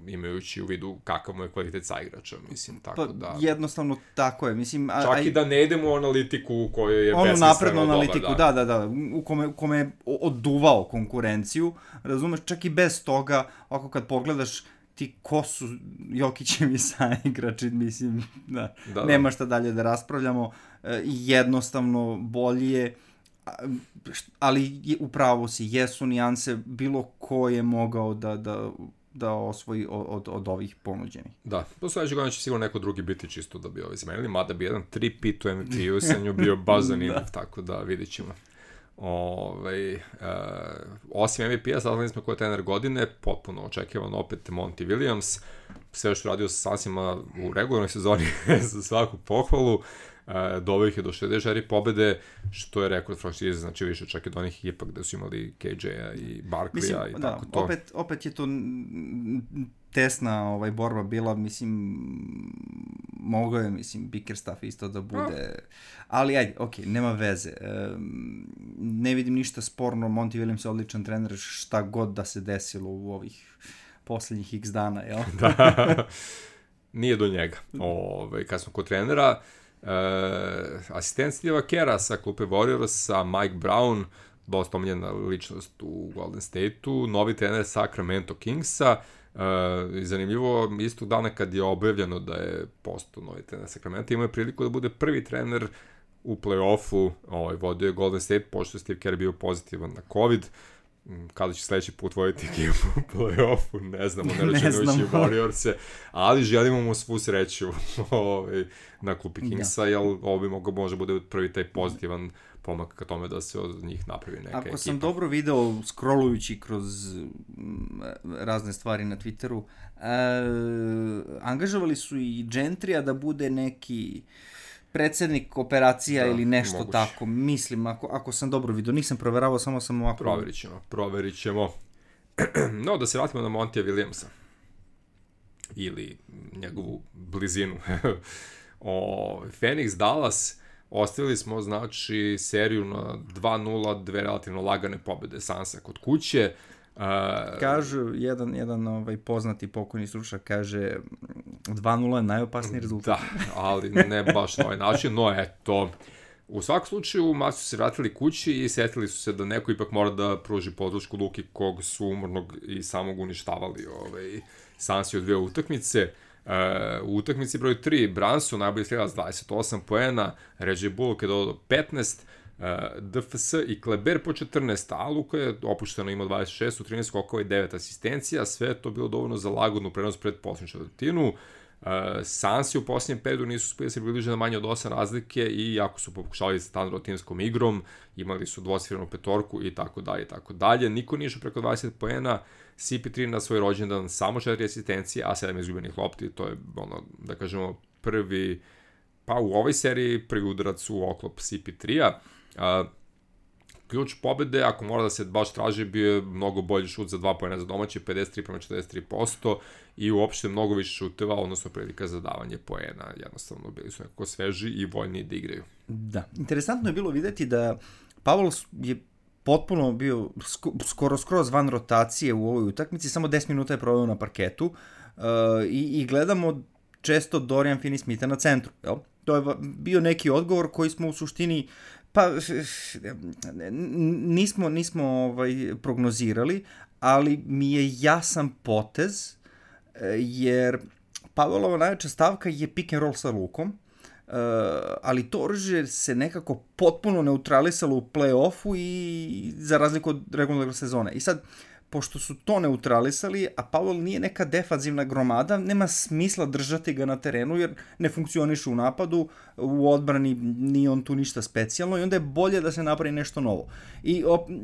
imajući u vidu kakav mu je kvalitet saigrača, mislim, tako pa, da... jednostavno tako je, mislim... A, čak a, i da ne idemo u analitiku u kojoj je onu besmisleno naprednu dobar, analitiku, da, da, da, u kome, u kome je oduvao konkurenciju, razumeš, čak i bez toga, ako kad pogledaš ti ko su Jokićevi saigrači, mislim, da, da, nema da. šta dalje da raspravljamo, jednostavno bolje je, ali upravo si, jesu nijanse, bilo ko je mogao da, da, da osvoji od, od ovih ponuđenih. Da, do sledećeg godina će sigurno neko drugi biti čisto da bi ovi zamenili, mada bi jedan tri-pit u M V P-u sa nju bio baš zanimljiv, da. Tako da vidit ćemo. Ove, uh, osim M V P-a, saznali smo ko je trener godine, potpuno očekivan opet Monty Williams, sve što radio sa Sunsima u regularnoj sezoni za svaku pohvalu, uh, doveo ih je do šezdeset četiri pobede, što je rekord franšize, znači više čak i od onih ekipa gde su imali K J-a i Barkley-a i da, tako to. Opet, opet je to tesna ovaj, borba bila, mislim, mogao je, mislim, Bickerstaff isto da bude, ali ajde, okej, okay, nema veze. E, ne vidim ništa sporno, Monty Williams je odličan trener, šta god da se desilo u ovih poslednjih x dana, jel? Da, nije do njega. Ove, kad smo kod trenera, e, asistent Steva Kera sa klupe Warriorsa, Mike Brown, dosta omiljena ličnost u Golden State-u, novi trener Sacramento Kingsa. Uh, zanimljivo, istog dana kad je objavljeno da je postao novi trener Sacramento, imao je priliku da bude prvi trener u play-offu, ovaj, vodio je Golden State, pošto je Steve Kerr bio pozitivan na COVID. Kada će sledeći put voditi ekipu u play-offu, ne znamo, ne računajući Warriorse, ali želimo mu svu sreću ovaj, na klupi Kingsa, jer ovo bi mogo može bude prvi taj pozitivan pomak ka tome da se od njih napravi neka Ako ekipa. sam dobro video, scrollujući kroz razne stvari na Twitteru, e, angažovali su i Gentrija da bude neki predsednik operacija da, ili nešto moguće. Tako, mislim, ako, ako sam dobro vidio, nisam proveravao, samo sam ovako... Proverit ćemo, proverit ćemo. No, da se vratimo na Montija Williamsa. Ili njegovu blizinu. o, Phoenix Dallas, ostavili smo, znači, seriju na dva nula, dve relativno lagane pobjede Sansa kod kuće. Uh, Kažu, jedan, jedan ovaj, poznati pokojni stručnjak kaže dva nula je najopasniji rezultat. Da, ali ne baš na ovaj način, no eto. U svakom slučaju, Mavs su se vratili kući i setili su se da neko ipak mora da pruži podršku Luki, kog su umornog i samog uništavali ovaj, Sansi od dve utakmice. Uh, u utakmici broj tri, Brunson, najbolji strelac, dvadeset osam poena, Reggie Bullock je dodao petnaest, uh, D F S i Kleber po četrnaest, a Luka je opušteno imao dvadeset šest u trinaest skokova i devet asistencija, sve je to bilo dovoljno za lagodnu prenos pred posljednju četvrtinu. Uh, Sansi u posljednjem periodu nisu uspeli se približiti na manje od osam razlike i jako su pokušali sa standardnom timskom igrom, imali su dvocifrenu petorku i tako dalje i tako dalje. Niko nije išao preko dvadeset poena, C P tri na svoj rođendan samo četiri asistencije, a sedam izgubljenih lopti, to je, ono, da kažemo, prvi, pa u ovoj seriji, prvi udarac u oklop C P tri-a. Uh, ključ pobede, ako mora da se baš traži, bio je mnogo bolji šut za dva poena za domaće, pedeset tri prema četrdeset tri posto i uopšte mnogo više šuteva, odnosno prilika za davanje poena. Jednostavno, bili su nekako sveži i voljni da igraju. Da. Interesantno je bilo videti da Pavel je potpuno bio skoro skroz van rotacije u ovoj utakmici, samo deset minuta je proveo na parketu uh, i, i gledamo često Dorian Finney-Smitha na centru. Jel? To je bio neki odgovor koji smo u suštini pa nismo, nismo ovaj, prognozirali, ali mi je jasan potez, jer Pavelova najveća stavka je pick and roll sa Lukom, Uh, ali to oružje se nekako potpuno neutralisalo u play-offu i za razliku od regularne sezone. I sad, pošto su to neutralisali, a Pavel nije neka defanzivna gromada, nema smisla držati ga na terenu jer ne funkcioniše u napadu, u odbrani nije on tu ništa specijalno i onda je bolje da se napravi nešto novo. I op, uh,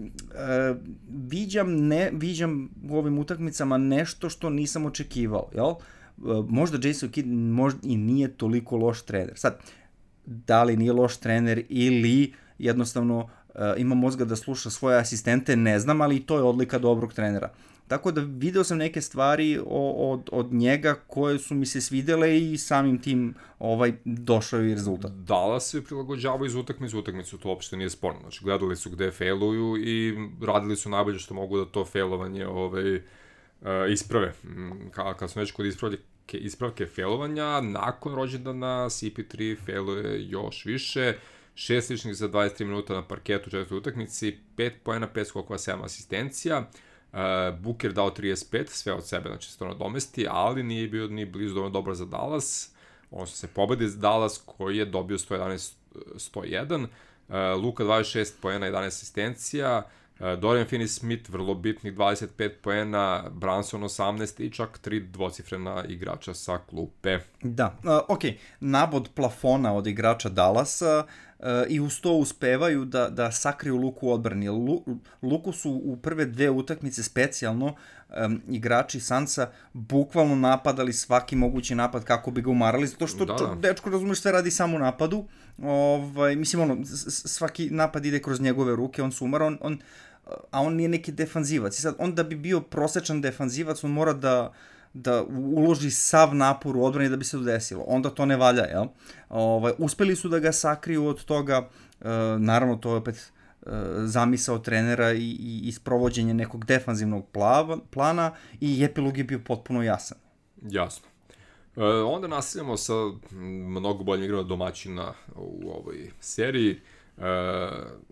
viđam, ne, viđam u ovim utakmicama nešto što nisam očekivao, jel? Možda Jason Kidd možda i nije toliko loš trener. Sad, da li nije loš trener ili jednostavno uh, ima mozga da sluša svoje asistente, ne znam, ali to je odlika dobrog trenera. tako da video sam neke stvari od, od njega koje su mi se svidele i samim tim ovaj, došao i rezultat. Dallas se prilagođavao iz utakmice u utakmicu, to uopšte nije sporno. Znači, gledali su gde failuju i radili su najbolje što mogu da to failovanje ovaj, isprave. Kad smo već kod ispravljake, ispravke failovanja, nakon rođendana C P tri failuje još više, šest ličnih za dvadeset tri minuta na parketu u četvrtoj utakmici, pet poena, pet skokova, sedam asistencija, uh, Booker dao trideset pet, sve od sebe, znači se to nadomesti, ali nije bio ni blizu dovoljno dobar za Dallas, on su se pobedi za Dallas koji je dobio sto jedanaest sto jedan, uh, Luka dvadeset šest poena, jedanaest asistencija, Dorian Finney-Smith, vrlo bitnih dvadeset pet poena, Brunson osamnaest i čak tri dvocifrena igrača sa klupe. Da, uh, ok, nabod plafona od igrača Dallasa uh, i uz to uspevaju da, da sakriju Luku u odbrani. Lu, Luku su u prve dve utakmice specijalno um, igrači Sansa bukvalno napadali svaki mogući napad kako bi ga umarali, zato što da, da. dečko, razumeš, sve radi samo u napadu. Ovaj, mislim, ono, svaki napad ide kroz njegove ruke, on se umara, on, on, a on nije neki defanzivac. I sad, on da bi bio prosečan defanzivac, on mora da, da uloži sav napor u odbrani da bi se to desilo. Onda to ne valja, jel? Ovaj, uspeli su da ga sakriju od toga, e, naravno to je opet e, zamisao trenera i, i isprovođenje nekog defanzivnog plava, plana i epilog je bio potpuno jasan. Jasno. E, onda nastavljamo sa mnogo boljim igrama domaćina u ovoj seriji. E,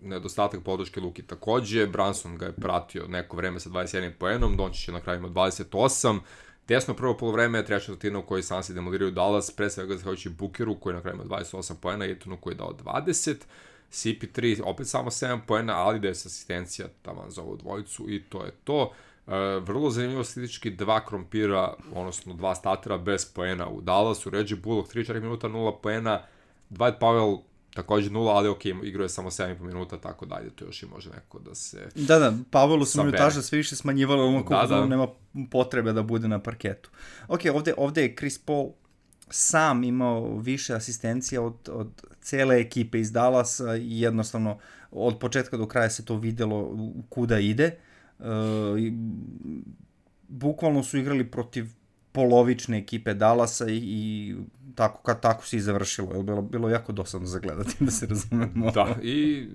nedostatak podrške Luki takođe, Brunson ga je pratio neko vreme sa dvadeset jedan poenom, Dončić je na kraju imao dvadeset osam, tesno prvo polovreme, treća četvrtina u kojoj Sansi demoliraju Dallas, pre svega zahvaljujući Bookeru koji je na kraju imao dvadeset osam poena, Aytonu koji je dao dvadeset, C P tri opet samo sedam poena, ali da je asistencija taman za ovu dvojicu i to je to. Uh, vrlo zanimljivo statistički dva krompira, odnosno dva statera bez poena u Dallasu, Reggie Bullock tri četiri minuta, nula poena, Dwight Powell takođe nula, ali ok, igrao je samo sedam i po minuta, tako dalje, to još i može neko da se... Da, da, Pavelu se minutaža sve više smanjivala, ono kako da, da. nema potrebe da bude na parketu. Ok, ovde, ovde je Chris Paul sam imao više asistencija od, od cele ekipe iz Dallasa i jednostavno od početka do kraja se to videlo kuda ide. Uh, bukvalno su igrali protiv polovične ekipe Dallasa i, i tako, kad tako se i završilo, je bilo, bilo jako dosadno za gledati, da se razumemo. Da, i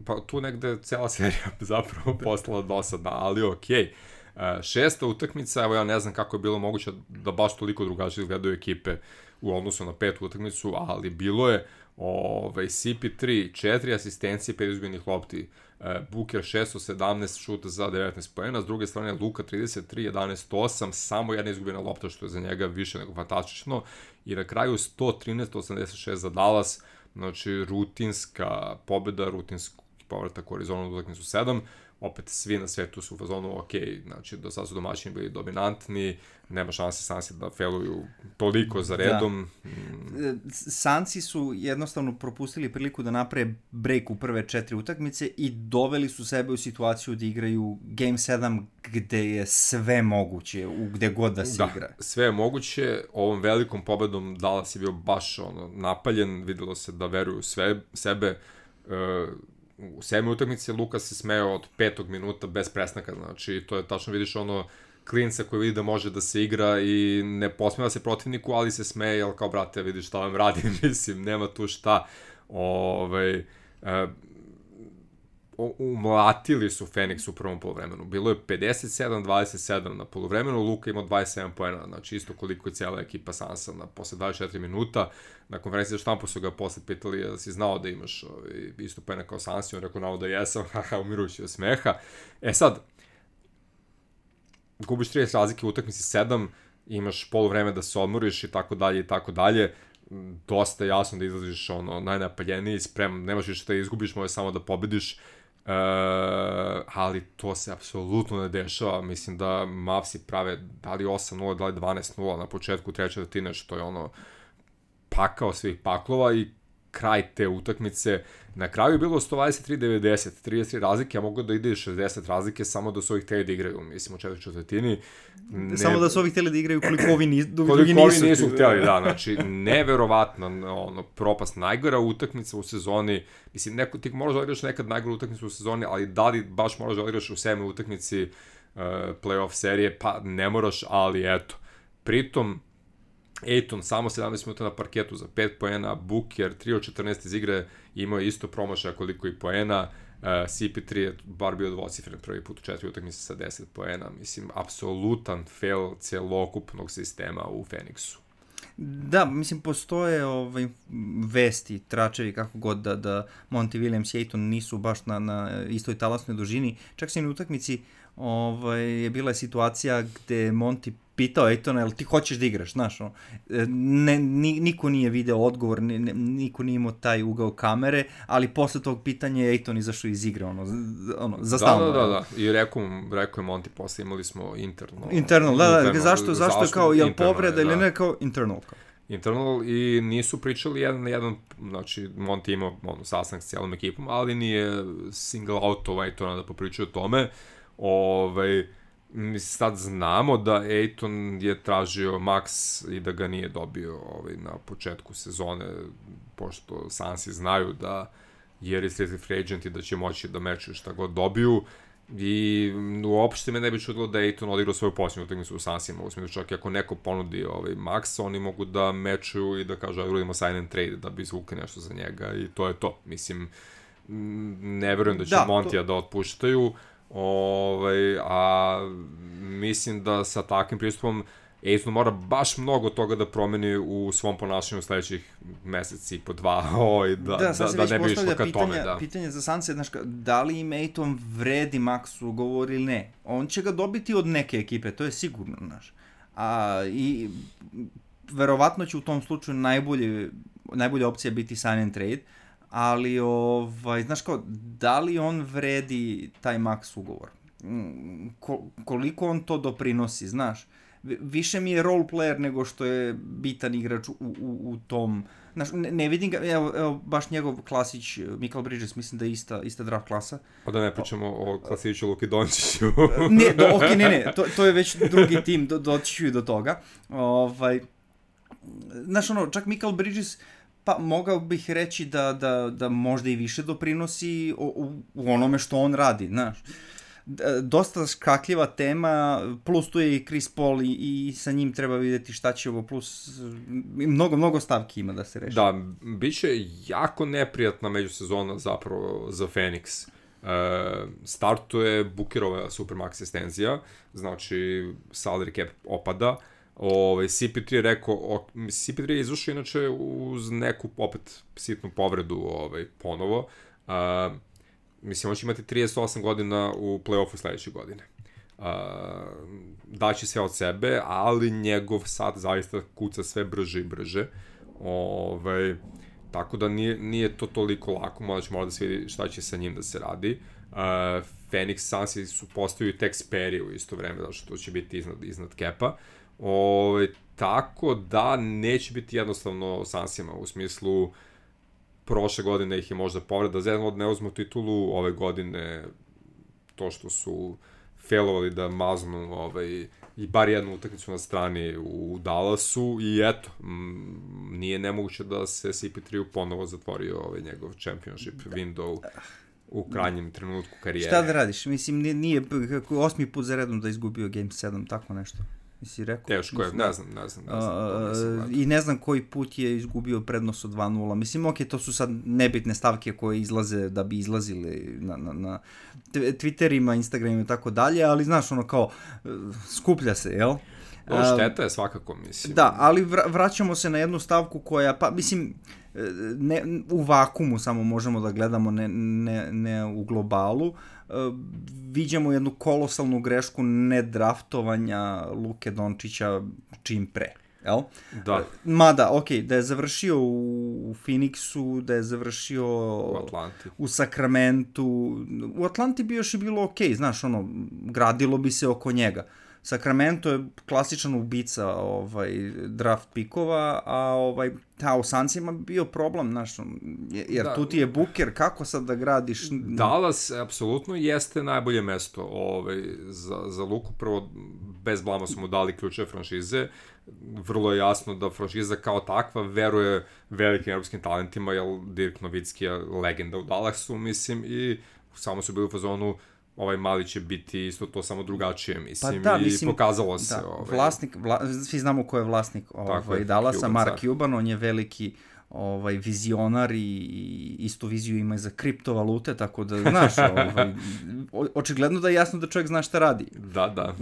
pa, tu negde cela serija zapravo postala dosadna, ali okej. Okay. Uh, šesta utakmica, evo ja ne znam kako je bilo moguće da baš toliko drugačije gledaju ekipe u odnosu na petu utakmicu, ali bilo je ovaj, C P tri, četiri asistencije, pet izgubljenih lopti, uh, Booker šest od sedamnaest šuta za devetnaest poena, s druge strane Luka trideset tri, jedanaest osam, samo jedna izgubljena lopta što je za njega više nego fantastično i na kraju sto trinaest osamdeset šest za Dallas, znači rutinska pobeda, rutinski povratak u Arizonu u utakmicu sedam, opet svi na svetu su u fazonu ok, znači do sad su domaćini bili dominantni, nema šanse Sansi da failuju toliko za redom. Da. Sansi su jednostavno propustili priliku da naprave break u prve četiri utakmice i doveli su sebe u situaciju da igraju Game sedam gde je sve moguće, u gde god da se da, igra. Sve je moguće, ovom velikom pobedom Dallas je bio baš ono, napaljen, videlo se da veruju sve, sebe, uh, u sedmoj utakmici Luka se smeo od petog minuta bez prestanka, znači to je tačno vidiš ono klinca koji vidi da može da se igra i ne posmeva se protivniku, ali se smeje, jel kao brate vidiš šta vam radim, mislim, nema tu šta, ovaj, uh, umlatili su Phoenix u prvom poluvremenu, bilo je pedeset sedam dvadeset sedam na poluvremenu, Luka imao dvadeset sedam poena, znači isto koliko je cijela ekipa Sansa na posle dvadeset četiri minuta, na konferenciji za štampu su ga posle pitali da si znao da imaš ovaj, isto poena kao Sansi, on rekao nao da jesam, haha, umirujući od smeha. E sad, gubiš trideset razlike u utakmici sedam, imaš poluvreme da se odmoriš i tako dalje i tako dalje, dosta jasno da izlaziš ono, najnapaljeniji, sprem, nemaš više da izgubiš, može samo da pobediš, Uh, ali to se apsolutno ne dešava, mislim da Mavsi prave da li osam nula, da li dvanaest nula na početku treće četvrtine, što je ono pakao svih paklova i kraj te utakmice, na kraju je bilo sto dvadeset tri devedeset, trideset tri razlike, a mogu da ide šezdeset razlike samo da su ovih hteli da igraju, mislim u četvrtoj četvrtini. Ne... Samo da su ovih hteli da igraju koliko ovi, nis, koliko ovi nisu. Koliko nisu hteli, da, znači neverovatno ono, propast, najgora utakmica u sezoni, mislim, neko, ti možeš da igraš nekad najgoru utakmicu u sezoni, ali da li baš moraš da igraš u sedmoj utakmici playoff serije, pa ne moraš, ali eto. Pritom, Ayton samo sedamnaest minuta na parketu za pet poena, Booker tri od četrnaest iz igre, imao je isto promašaja koliko i poena, uh, C P tri je bar bio dvocifren prvi put u četiri utakmice sa deset poena, mislim, apsolutan fail celokupnog sistema u Phoenixu. Da, mislim, postoje ovaj, vesti, tračevi, kako god, da, da Monty Williams i Ayton nisu baš na, na istoj talasnoj dužini. Čak se i na utakmici ovaj, je bila situacija gde Monty pitao Aytona, jel ti hoćeš da igraš, znaš, ono, ne, ni, niko nije video odgovor, ni, niko nije imao taj ugao kamere, ali posle tog pitanja je Ayton izašao iz igre, ono, ono za stalno. Da, da, da, da, i rekao, rekao je Monty posle, imali smo internal. Internal, da, da, internal, zašto, zašto je kao, jel povreda ili ne, kao internal, kao. Internal i nisu pričali jedan na jedan, znači Monty imao ono, sastanak s cijelom ekipom, ali nije single out ovaj Aytona da popričaju o tome. Ovaj, mi sad znamo da Ayton je tražio max i da ga nije dobio ovaj, na početku sezone, pošto Sansi znaju da je restricted free agent i da će moći da mečuju šta god dobiju. I uopšte me ne bi čudilo da je Ayton odigrao svoju posljednju utakmicu u Sansima, u smislu čak i ako neko ponudi ovaj max, oni mogu da mečuju i da kažu ajde uradimo sign and trade da bi izvukli nešto za njega i to je to. Mislim, ne verujem da će da, Montija to... da otpuštaju, ovaj, a mislim da sa takvim pristupom Ayton mora baš mnogo toga da promeni u svom ponašanju u sledećih meseci po dva, oj, da, da, da, da ne bi išlo ka pitanja, tome. Da. Pitanje za Sanse, znaš, da li im Ayton vredi max ugovor ili ne? On će ga dobiti od neke ekipe, to je sigurno, znaš. A, i verovatno će u tom slučaju najbolje, najbolja opcija biti sign and trade, ali, ovaj, znaš kao, da li on vredi taj max ugovor? Ko, koliko on to doprinosi, znaš? Više mi je role player nego što je bitan igrač u, u, u tom, znaš, ne, ne vidim ga, evo, evo baš njegov klasić, Michael Bridges, mislim da je ista, ista draft klasa. Pa da ne pričamo o, o klasiću Luki Dončiću. Ne, do, ok, ne, ne, to, to je već drugi tim, do, doći ću i do toga. Ovaj, znaš, ono, čak Michael Bridges, pa mogao bih reći da, da, da možda i više doprinosi u, u, u onome što on radi, znaš. Dosta škakljiva tema, plus tu je i Chris Paul i, i sa njim treba vidjeti šta će ovo, plus mnogo, mnogo stavki ima da se reši. Da, bit će jako neprijatna međusezona zapravo za Phoenix. E, startuje Bookerova supermax extenzija, znači salary cap opada. Ove, C P tri je rekao, o, C P tri je izušao inače uz neku opet sitnu povredu ovaj, ponovo. E, Mislim, on će imati trideset osam godina u play-offu sledeće godine. Uh, daće sve od sebe, ali njegov sad zaista kuca sve brže i brže. Ove, tako da nije, nije to toliko lako, možda će morati da se vidi šta će sa njim da se radi. Uh, Phoenix Sunsi su postaju tek Sperry u isto vreme, zato što to će biti iznad, iznad kepa. Ove, tako da neće biti jednostavno Sunsima u smislu prošle godine ih je možda povreda, zezno da ne uzmu titulu, ove godine to što su failovali da maznu ovaj, i bar jednu utakmicu na strani u Dallasu i eto, m, nije nemoguće da se C P tri ponovo zatvorio ovaj njegov championship window u krajnjem trenutku karijere. Šta da radiš? Mislim, nije, nije osmi put za redom da izgubio Game sedam, tako nešto. Mislim, rekao. Teško je, ne znam, ne znam. Ne znam, ne znam, I ne znam koji put je izgubio prednost od dva nula. Mislim, ok, to su sad nebitne stavke koje izlaze da bi izlazile na, na, na Twitterima, Instagramima i tako dalje, ali znaš, ono kao, skuplja se, jel? No, šteta je svakako, mislim. Da, ali vraćamo se na jednu stavku koja, pa, mislim, ne, u vakumu samo možemo da gledamo, ne, ne, ne u globalu. Uh, viđamo jednu kolosalnu grešku nedraftovanja Luke Dončića čim pre, jel? Da. Uh, mada, ok, da je završio u, u Phoenixu, da je završio u Atlanti, u Sacramentu, u Atlanti bi još i bilo ok, znaš, ono, gradilo bi se oko njega. Sacramento je klasičan ubica ovaj, draft pikova, a ovaj, ta u Sunsima bio problem, znaš, jer da, tu ti je Booker, kako sad da gradiš? Dallas apsolutno jeste najbolje mesto ovaj, za, za Luku, prvo bez blama su mu dali ključe franšize, vrlo je jasno da franšiza kao takva veruje velikim europskim talentima, jer Dirk Nowitzki je legenda u Dallasu, mislim, i samo su bili u fazonu, ovaj mali će biti isto to samo drugačije, mislim, pa da, i mislim, pokazalo se. Da, ovaj... vlasnik, vla, svi znamo ko je vlasnik ovaj, Dallasa, Cuban, Mark Cuban, on je veliki ovaj, vizionar i istu viziju ima i za kriptovalute, tako da, znaš, ovaj, očigledno da je jasno da čovjek zna šta radi. Da, da.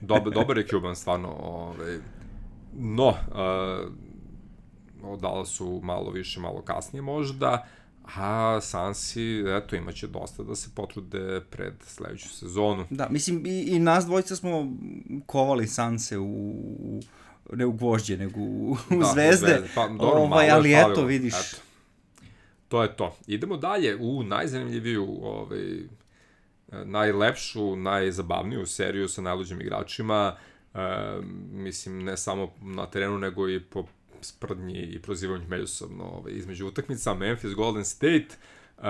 Dobar, dobar je Cuban, stvarno. Ovaj... No, uh, o Dallasu malo više, malo kasnije možda, a Sansi, eto, imaće dosta da se potrude pred sledeću sezonu. Da, mislim, i, i nas dvojica smo kovali Sanse u, ne u gvožđe, nego u, u da, zvezde, zvezde. Pa, dobro, ovaj, ali eto, falilo. Vidiš. Eto. To je to. Idemo dalje u najzanimljiviju, ovaj, najlepšu, najzabavniju seriju sa najluđim igračima, e, mislim, ne samo na terenu, nego i po sprdnji i prozivanju međusobno ovaj, između utakmica. Memphis, Golden State, uh,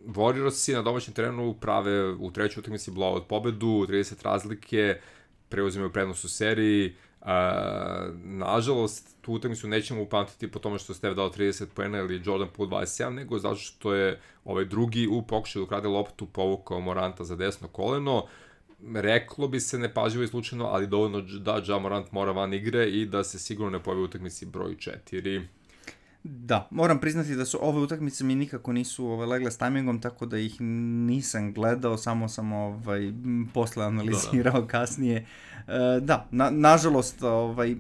Warriorsi na domaćem terenu prave u trećoj utakmici blowout pobedu, trideset razlike, preuzimaju prednost u seriji. Uh, nažalost, tu utakmicu nećemo upamtiti po tome što Steph dao trideset poena ili Jordan Poole dvadeset sedam, nego zato što je ovaj drugi u pokušaju da ukrade loptu povukao Moranta za desno koleno. Reklo bi se nepažljivo i slučajno, ali dovoljno da Ja Morant mora van igre i da se sigurno ne pojavi u utakmici broj četiri. Da, moram priznati da su ove utakmice mi nikako nisu ovaj, legle s tajmingom, tako da ih nisam gledao, samo sam ovaj, posle analizirao da, da. kasnije. E, da, na, nažalost, ovaj,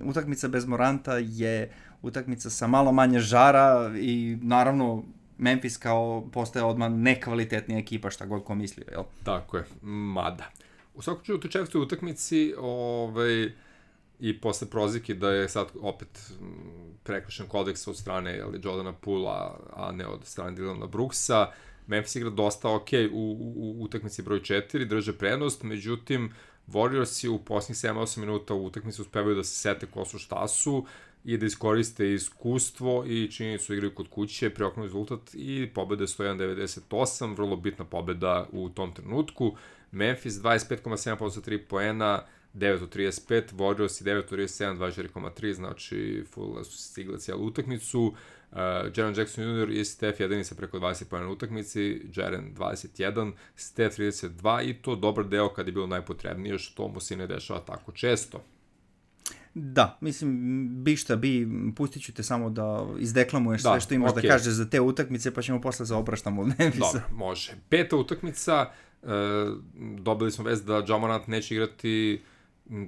utakmica bez Moranta je utakmica sa malo manje žara i naravno Memphis kao postaje odmah nekvalitetnija ekipa, šta god ko mislio, jel? Tako je, mada. U svakom čuju, u četvrtoj utakmici ovaj, i posle prozivke da je sad opet prekršen kodeks od strane jel, Jordana Poola, a ne od strane Dylana Brooksa, Memphis igra dosta ok u, u, u utakmici broj četiri, drže prednost, međutim Warriorsi u posljednjih sedam osam minuta u utakmici uspevaju da se sete ko su šta su i da iskoriste iskustvo i činjenicu igraju kod kuće, preoknu rezultat i pobede sto jedan devedeset osam, vrlo bitna pobeda u tom trenutku. Memphis dvadeset pet zarez sedam posto tri poena, devet od trideset pet, Warriors i devet od trideset sedam, dvadeset četiri zarez tri, znači full su stigle cijelu utakmicu. Uh, Jaren Jackson junior i Steph jedini sa preko dvadeset poena na utakmici, Jaren dvadeset jedan, Steph trideset dva i to dobar deo kad je bilo najpotrebnije, što mu se ne dešava tako često. Da, mislim, bi šta bi, pustit ću te samo da izdeklamuješ da, sve što imaš okay. da kažeš za te utakmice, pa ćemo posle se opraštamo od Memphisa. Dobro, može. Peta utakmica, e, dobili smo vest da Ja Morant neće igrati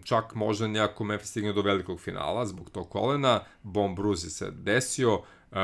čak možda nejako Memphis stigne do velikog finala zbog tog kolena, Bon Bruzi se desio, e,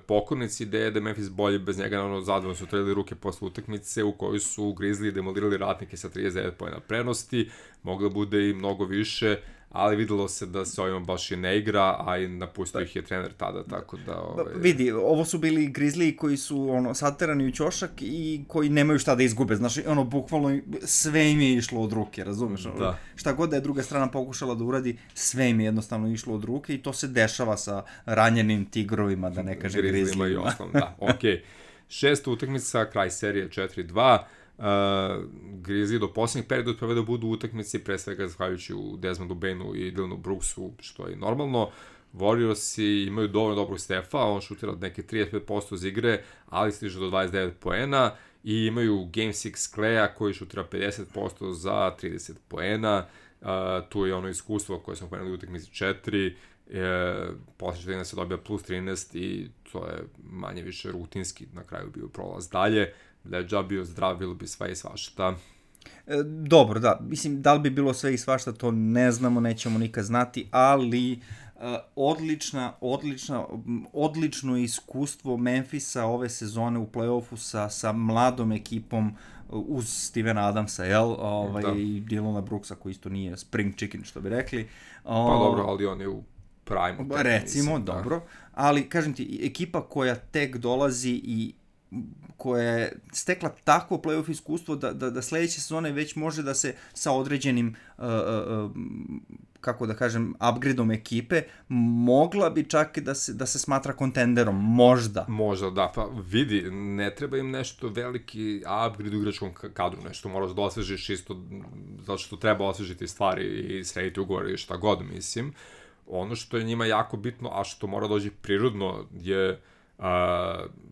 pokornici ideje da je Memphis bolji bez njega, naravno zadovoljno su trelili ruke posle utakmice u kojoj su Grizzly demolirali Ratnike sa trideset devet poena prednosti, moglo bude i mnogo više, ali videlo se da se ovima baš i ne igra, a i napustio ih je trener tada, tako da... Ovaj... Vidi, ovo su bili Grizzly koji su ono, saterani u ćošak i koji nemaju šta da izgube, znaš, ono, bukvalno sve im je išlo od ruke, razumeš? Da. Šta god da je druga strana pokušala da uradi, sve im je jednostavno išlo od ruke i to se dešava sa ranjenim tigrovima, da ne kaže Grizzlyima. Grizzlyima i ostalom, da, okej. Okay. Šesta utakmica, kraj serije četiri dva, Uh, Grizzly do posljednjeg perioda uspevaju da budu u utakmici, pre svega zahvaljujući u Desmondu Bainu i Dylanu Brooksu, što je normalno. Warriorsi imaju dovoljno dobrog Stefa, on šutira od neke trideset pet posto iz igre, ali stiže do dvadeset devet poena i imaju Game šest Claya koji šutira pedeset posto za trideset poena. Uh, tu je ono iskustvo koje smo pomenuli u utakmici četiri, e, posle četrnaest se dobija plus trinaest i to je manje više rutinski na kraju bio prolaz dalje. Da je Ja bio zdrav, bilo bi sve i svašta. E, dobro, da. Mislim, da li bi bilo sve i svašta, to ne znamo, nećemo nikad znati, ali e, odlična, odlična, odlično iskustvo Memphisa ove sezone u play-offu sa, sa mladom ekipom uz Stevena Adamsa, jel? Ovaj, da. I Dylana Brooksa, koji isto nije spring chicken, što bi rekli. O, pa dobro, ali on je u prime. Recimo, mislim, dobro. Da. Ali, kažem ti, ekipa koja tek dolazi i koja je stekla takvo play-off iskustvo da, da, da sledeće sezone već može da se sa određenim, uh, uh, kako da kažem, upgradeom ekipe, mogla bi čak da se, da se smatra kontenderom, možda. Možda, da, pa vidi, ne treba im nešto veliki upgrade u igračkom kadru, nešto moraš da osvežiš isto, zato što treba osvežiti stvari i srediti ugovore i šta god, mislim. Ono što je njima jako bitno, a što mora dođi prirodno, je Uh,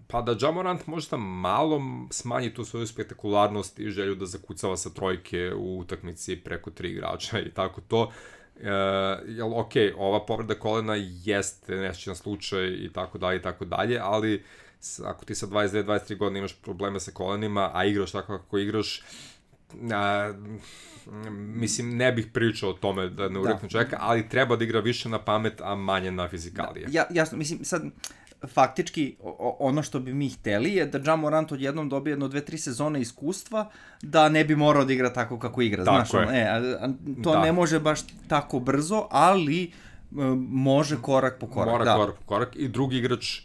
pa da Ja Morant možda malo smanji tu svoju spektakularnost i želju da zakucava sa trojke u utakmici preko tri igrača i tako to. Uh, jel, ok, ova povreda kolena jeste nešćan slučaj i tako dalje i tako dalje, ali ako ti sa dvadeset dve dvadeset tri godine imaš probleme sa kolenima, a igraš tako kako igraš, a, mislim, ne bih pričao o tome da ne urekne čoveka, ali treba da igra više na pamet, a manje na fizikalije. Ja, jasno, mislim, sad, faktički, ono što bi mi hteli je da Ja Morant odjednom dobije jedno dve, tri sezone iskustva, da ne bi morao da igra tako kako igra, tako znaš, ono, e, a, a, to da. Ne može baš tako brzo, ali može korak po korak. Mora da. korak po korak i drugi igrač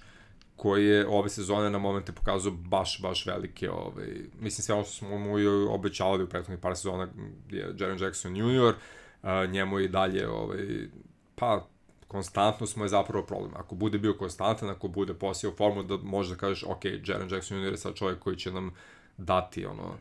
koji je ove sezone na momente pokazao baš, baš velike, ovaj, mislim sve ono što smo mu obećavali u prethodnih par sezona je Jaren Jackson junior, uh, njemu je i dalje, ovaj, pa, konstantnost mu je zapravo problem. Ako bude bio konstantan, ako bude posio formu, da možda kažeš, ok, Jaren Jackson junior je sad čovjek koji će nam dati, ono,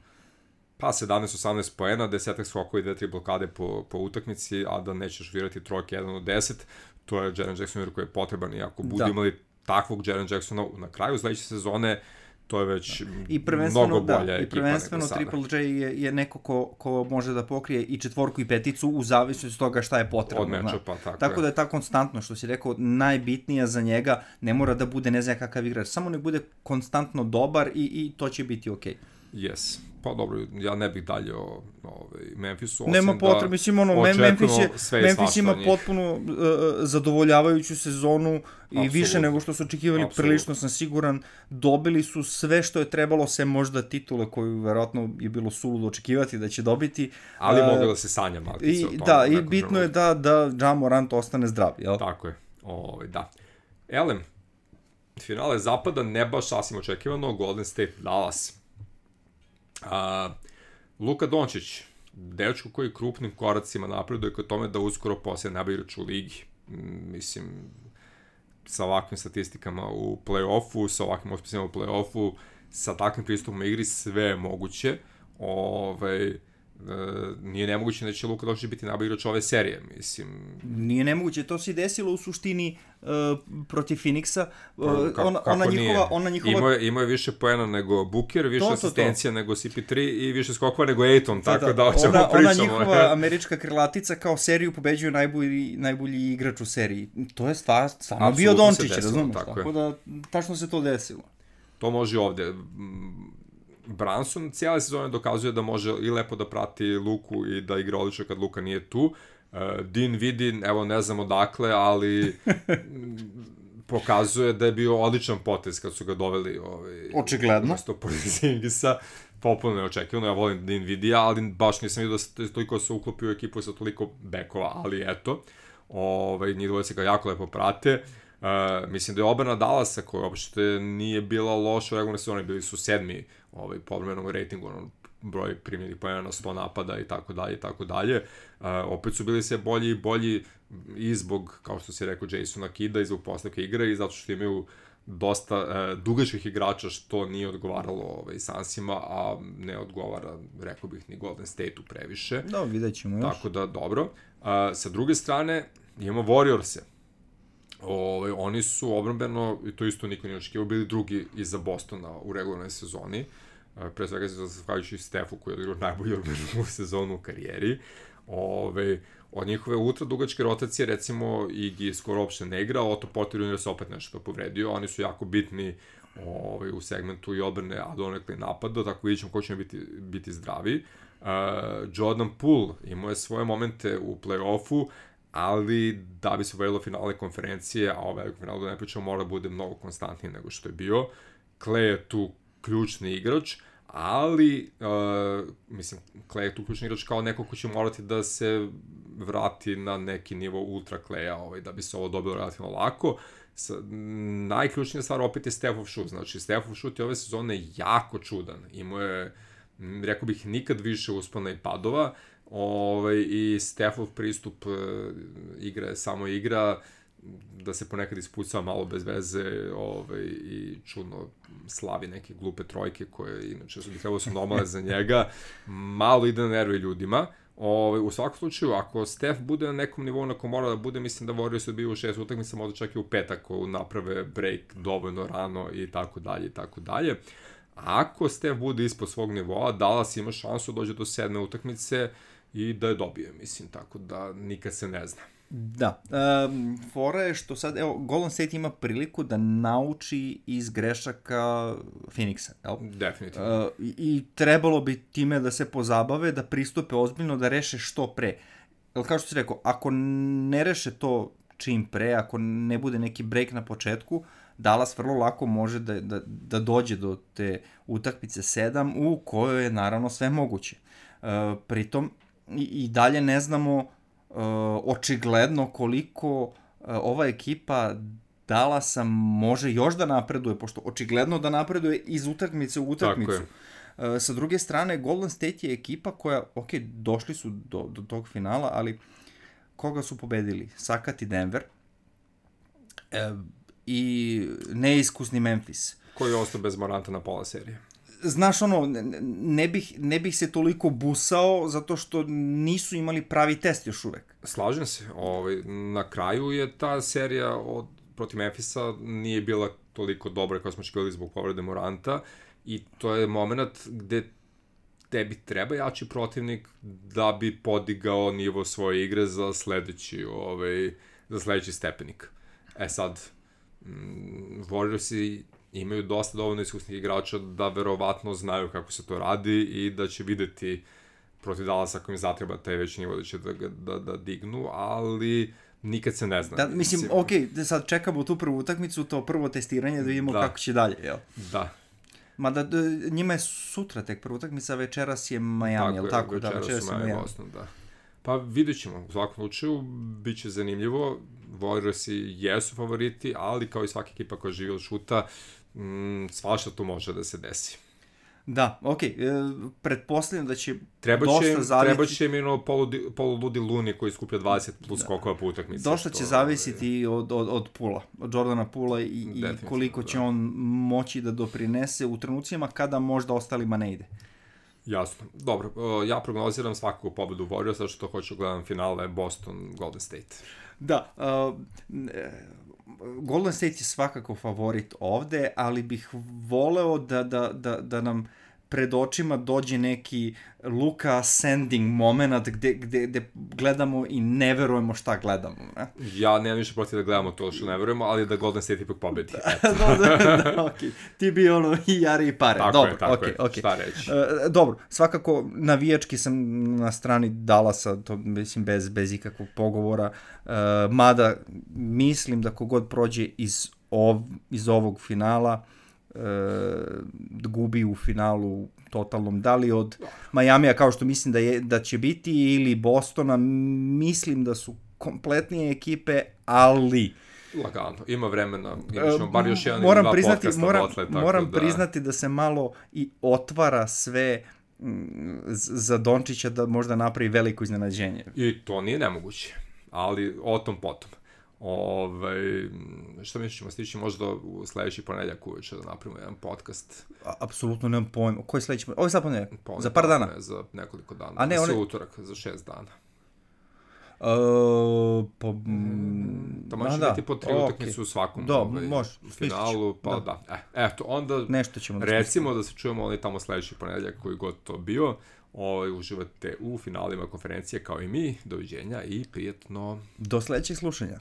pa sedamnaest osamnaest poena, desetak skokova i dve tri blokade po, po utakmici, a da nećeš virati trojke jedan od deset, to je Jaren Jackson junior koji je potreban i ako bude da. imali takvog Jaren Jacksona na kraju sledeće sezone, to je već I mnogo bolja da, ekipa. I prvenstveno Triple J je, je neko ko, ko može da pokrije i četvorku i peticu u zavisnosti od toga šta je potrebno. Od meča, pa tako, tako je. da je ta konstantno, što si rekao, najbitnija za njega, ne mora da bude ne znam kakav igrač, samo ne bude konstantno dobar i, i to će biti okej. Okay. Yes. Pa dobro, ja ne bih dalje o ovaj, Memphisu, osim Nema potrebe, da mislim, ono, Memphis, je, Memphis ima potpuno uh, zadovoljavajuću sezonu i Absolut. više nego što su očekivali, Absolut. prilično sam siguran. Dobili su sve što je trebalo, sem možda titule koju verovatno je bilo suludo očekivati da će dobiti. Ali uh, mogu da se sanja malkice o tome. Da, i bitno je da, da Ja Morant ostane zdrav, jel? Tako je, ovaj, da. Elem, finale zapada ne baš sasvim očekivano, Golden State Dallas. Uh, Luka Dončić, dečko koji krupnim koracima napreduje kod tome da uskoro poslije najbolji igrač u ligi. Mm, mislim, sa ovakvim statistikama u play-offu, sa ovakvim uspjesima u play-offu, sa takvim pristupom igri, sve je moguće. Ovaj, Uh, nije nemoguće da će Luka Dončić biti najbolji igrač ove serije, mislim. Nije nemoguće, to se desilo u suštini uh, protiv Phoenixa. Uh, Ka, ona, ona njihova, ona njihova... Imao je, imao je više poena nego Booker, više to, asistencija to, to. nego C P tri i više skokova nego Ayton, tako da, da o čemu ona, pričamo. Ona njihova američka krilatica kao seriju pobeđuje najbolji, najbolji igrač u seriji. To je stvar, stvarno bio Dončić, razumiješ? Tako, tako da, tačno se to desilo. To može ovde. Brunson cijele sezone dokazuje da može i lepo da prati Luku i da igra odlično kad Luka nije tu. Uh, Dinwiddie, evo ne znam odakle, ali pokazuje da je bio odličan potez kad su ga doveli ovaj, očigledno. Mesto Porzingisa. Popuno neočekivano, ja volim Dinwiddie, ali baš nisam vidio da se toliko se uklopio u ekipu sa toliko bekova, ali eto, ovaj, njih dvoje se ga jako lepo prate. Uh, mislim da je obrana Dallasa koja uopšte nije bila loša u regularnoj sezoni, bili su sedmi ovaj, po odmjernom ratingu, ono, broj primljenih pojena na sto napada i tako dalje i tako dalje. Uh, opet su bili sve bolji i bolji i zbog, kao što si rekao, Jasona Kida i zbog postavke igre i zato što imaju dosta uh, dugačkih igrača što nije odgovaralo ovaj, Sunsima, a ne odgovara, rekao bih, ni Golden State-u previše. Da, vidjet ćemo još. Tako da, dobro. Uh, sa druge strane, imamo Warriors-e. Ove, oni su obrambeno, i to isto niko nije očekivao, bili drugi iza Bostona u regularnoj sezoni. Pre svega se zahvaljujući Stefu koji je odigrao najbolju obrambenu sezonu u karijeri. Ove, od njihove ultra dugačke rotacije, recimo, Igi skoro uopšte ne igra, Otto Porter junior se opet nešto povredio, oni su jako bitni ove, u segmentu i odbrane, a donekle napada, tako vidjet ćemo ko će biti, biti zdravi. Uh, Jordan Poole imao je svoje momente u play-offu, ali da bi se uvedilo finale konferencije, a o velikom finalu da ne pričamo, mora da bude mnogo konstantniji nego što je bio. Klay je tu ključni igrač, ali, uh, mislim, Klay je tu ključni igrač kao neko ko će morati da se vrati na neki nivo ultra Klaya, ovaj, da bi se ovo dobilo relativno lako. S, najključnija stvar opet je Stephov šut, znači Stephov šut je ove sezone jako čudan, imao je, rekao bih, nikad više uspona i padova, ovaj, i Stephov pristup uh, igra je samo igra, da se ponekad ispucava malo bez veze ovaj, i čudno slavi neke glupe trojke koje inače su bi trebalo su normalne za njega, malo ide na nerve ljudima. Ove, u svakom slučaju, ako Steph bude na nekom nivou na kom mora da bude, mislim da Warriors su bio u šest utakmica, možda čak i u pet ako naprave break dovoljno rano i tako dalje i tako dalje. Ako Steph bude ispod svog nivoa, Dallas ima šansu dođe do sedme utakmice i da je dobije, mislim, tako da nikad se ne zna. Da, um, fora je što sad, evo, Golden State ima priliku da nauči iz grešaka Phoenixa, jel? Definitivno. Uh, i, I trebalo bi time da se pozabave, da pristupe ozbiljno, da reše što pre. Jel, kao što si rekao, ako ne reše to čim pre, ako ne bude neki break na početku, Dallas vrlo lako može da, da, da dođe do te utakmice sedam u kojoj je naravno sve moguće. Uh, pritom, i, i dalje ne znamo Uh, očigledno koliko uh, ova ekipa Dallasa može još da napreduje, pošto očigledno da napreduje iz utakmice u utakmicu. Uh, sa druge strane, Golden State je ekipa koja, ok, došli su do, do tog finala, ali koga su pobedili? Sakat i Denver uh, i neiskusni Memphis. Koji je ostao bez Moranta na pola serije. Znaš, ono, ne bih, ne bih se toliko busao zato što nisu imali pravi test još uvek. Slažem se. Ovaj, na kraju je ta serija od, protiv Memphisa nije bila toliko dobra kao smo očekivali zbog povrede Moranta i to je moment gde tebi treba jači protivnik da bi podigao nivo svoje igre za sledeći, ovaj, za sledeći stepenik. E sad, mm, Warriorsi imaju dosta dovoljno iskusnih igrača da verovatno znaju kako se to radi i da će videti protiv Dallasa ako im zatreba taj veći nivo da će da, da, da dignu, ali nikad se ne zna. Da, mislim, mislim, ok, sad čekamo tu prvu utakmicu, to prvo testiranje da vidimo da. Kako će dalje, jel? Da. Mada njima je sutra tek prva utakmica, večeras je Miami, jel tako? Večeras da, večeras je Miami, Boston, da. Pa vidjet ćemo, u svakom slučaju, bit će zanimljivo, Warriorsi jesu favoriti, ali kao i svaka ekipa koja živi od šuta, mm, svašta tu može da se desi. Da, okej, okay. e, pretpostavljam da će treba dosta će, zaviti... Treba će im ono poludi, poluludi Luni koji skuplja dvadeset plus da. Skokova po utakmici. Dosta će zavisiti od, od, od Pula, od Jordana Pula i, i koliko će da. On moći da doprinese u trenucima kada možda ostalima ne ide. Jasno. Dobro, ja prognoziram svakako pobedu Warriors, zato što hoću gledam finale Boston Golden State. Da, uh, Golden State je svakako favorit ovde, ali bih voleo da, da, da, da nam pred očima dođe neki Luka Sending moment gde, gde, gde gledamo i ne verujemo šta gledamo. Ne? Ja nemam ništa protiv da gledamo to što ne verujemo, ali da Golden State ipak pobedi. da, da, da, okay. Ti bi ono i jari i pare. Tako dobro, je, tako okay, je. Okay. Šta reći? Uh, dobro, svakako navijački sam na strani Dallasa, to mislim bez, bez ikakvog pogovora, uh, mada mislim da kogod prođe iz, ov, iz ovog finala uh, gubi u finalu totalnom, da li od Majamija kao što mislim da, je, da će biti ili Bostona, mislim da su kompletnije ekipe, ali lagano, ima vremena, imaćemo bar još jedan moram ili dva priznati, podcasta moram, botle, tako moram da... priznati da se malo i otvara sve m, za Dončića da možda napravi veliko iznenađenje. I to nije nemoguće, ali o tom potom. Ove, šta misliš, ćemo stići možda u sledeći ponedjeljak uveče da napravimo jedan podcast? A, apsolutno nemam pojma. Koji sledeći ponedjeljak? Ovo je sad ponedjeljak? Za par dana? Ne, za nekoliko dana. A ne, one... one... utorak, za šest dana. Uh, po, mm, to može da, biti po tri okay. utakmice u svakom da, ovaj, može, u finalu, pa da. da. E, eto, onda nešto ćemo da recimo da se čujemo oni tamo sledeći ponedjeljak koji god to bio. Ovaj, uživate u finalima konferencije kao i mi. Doviđenja i prijetno. Do sledećeg slušanja.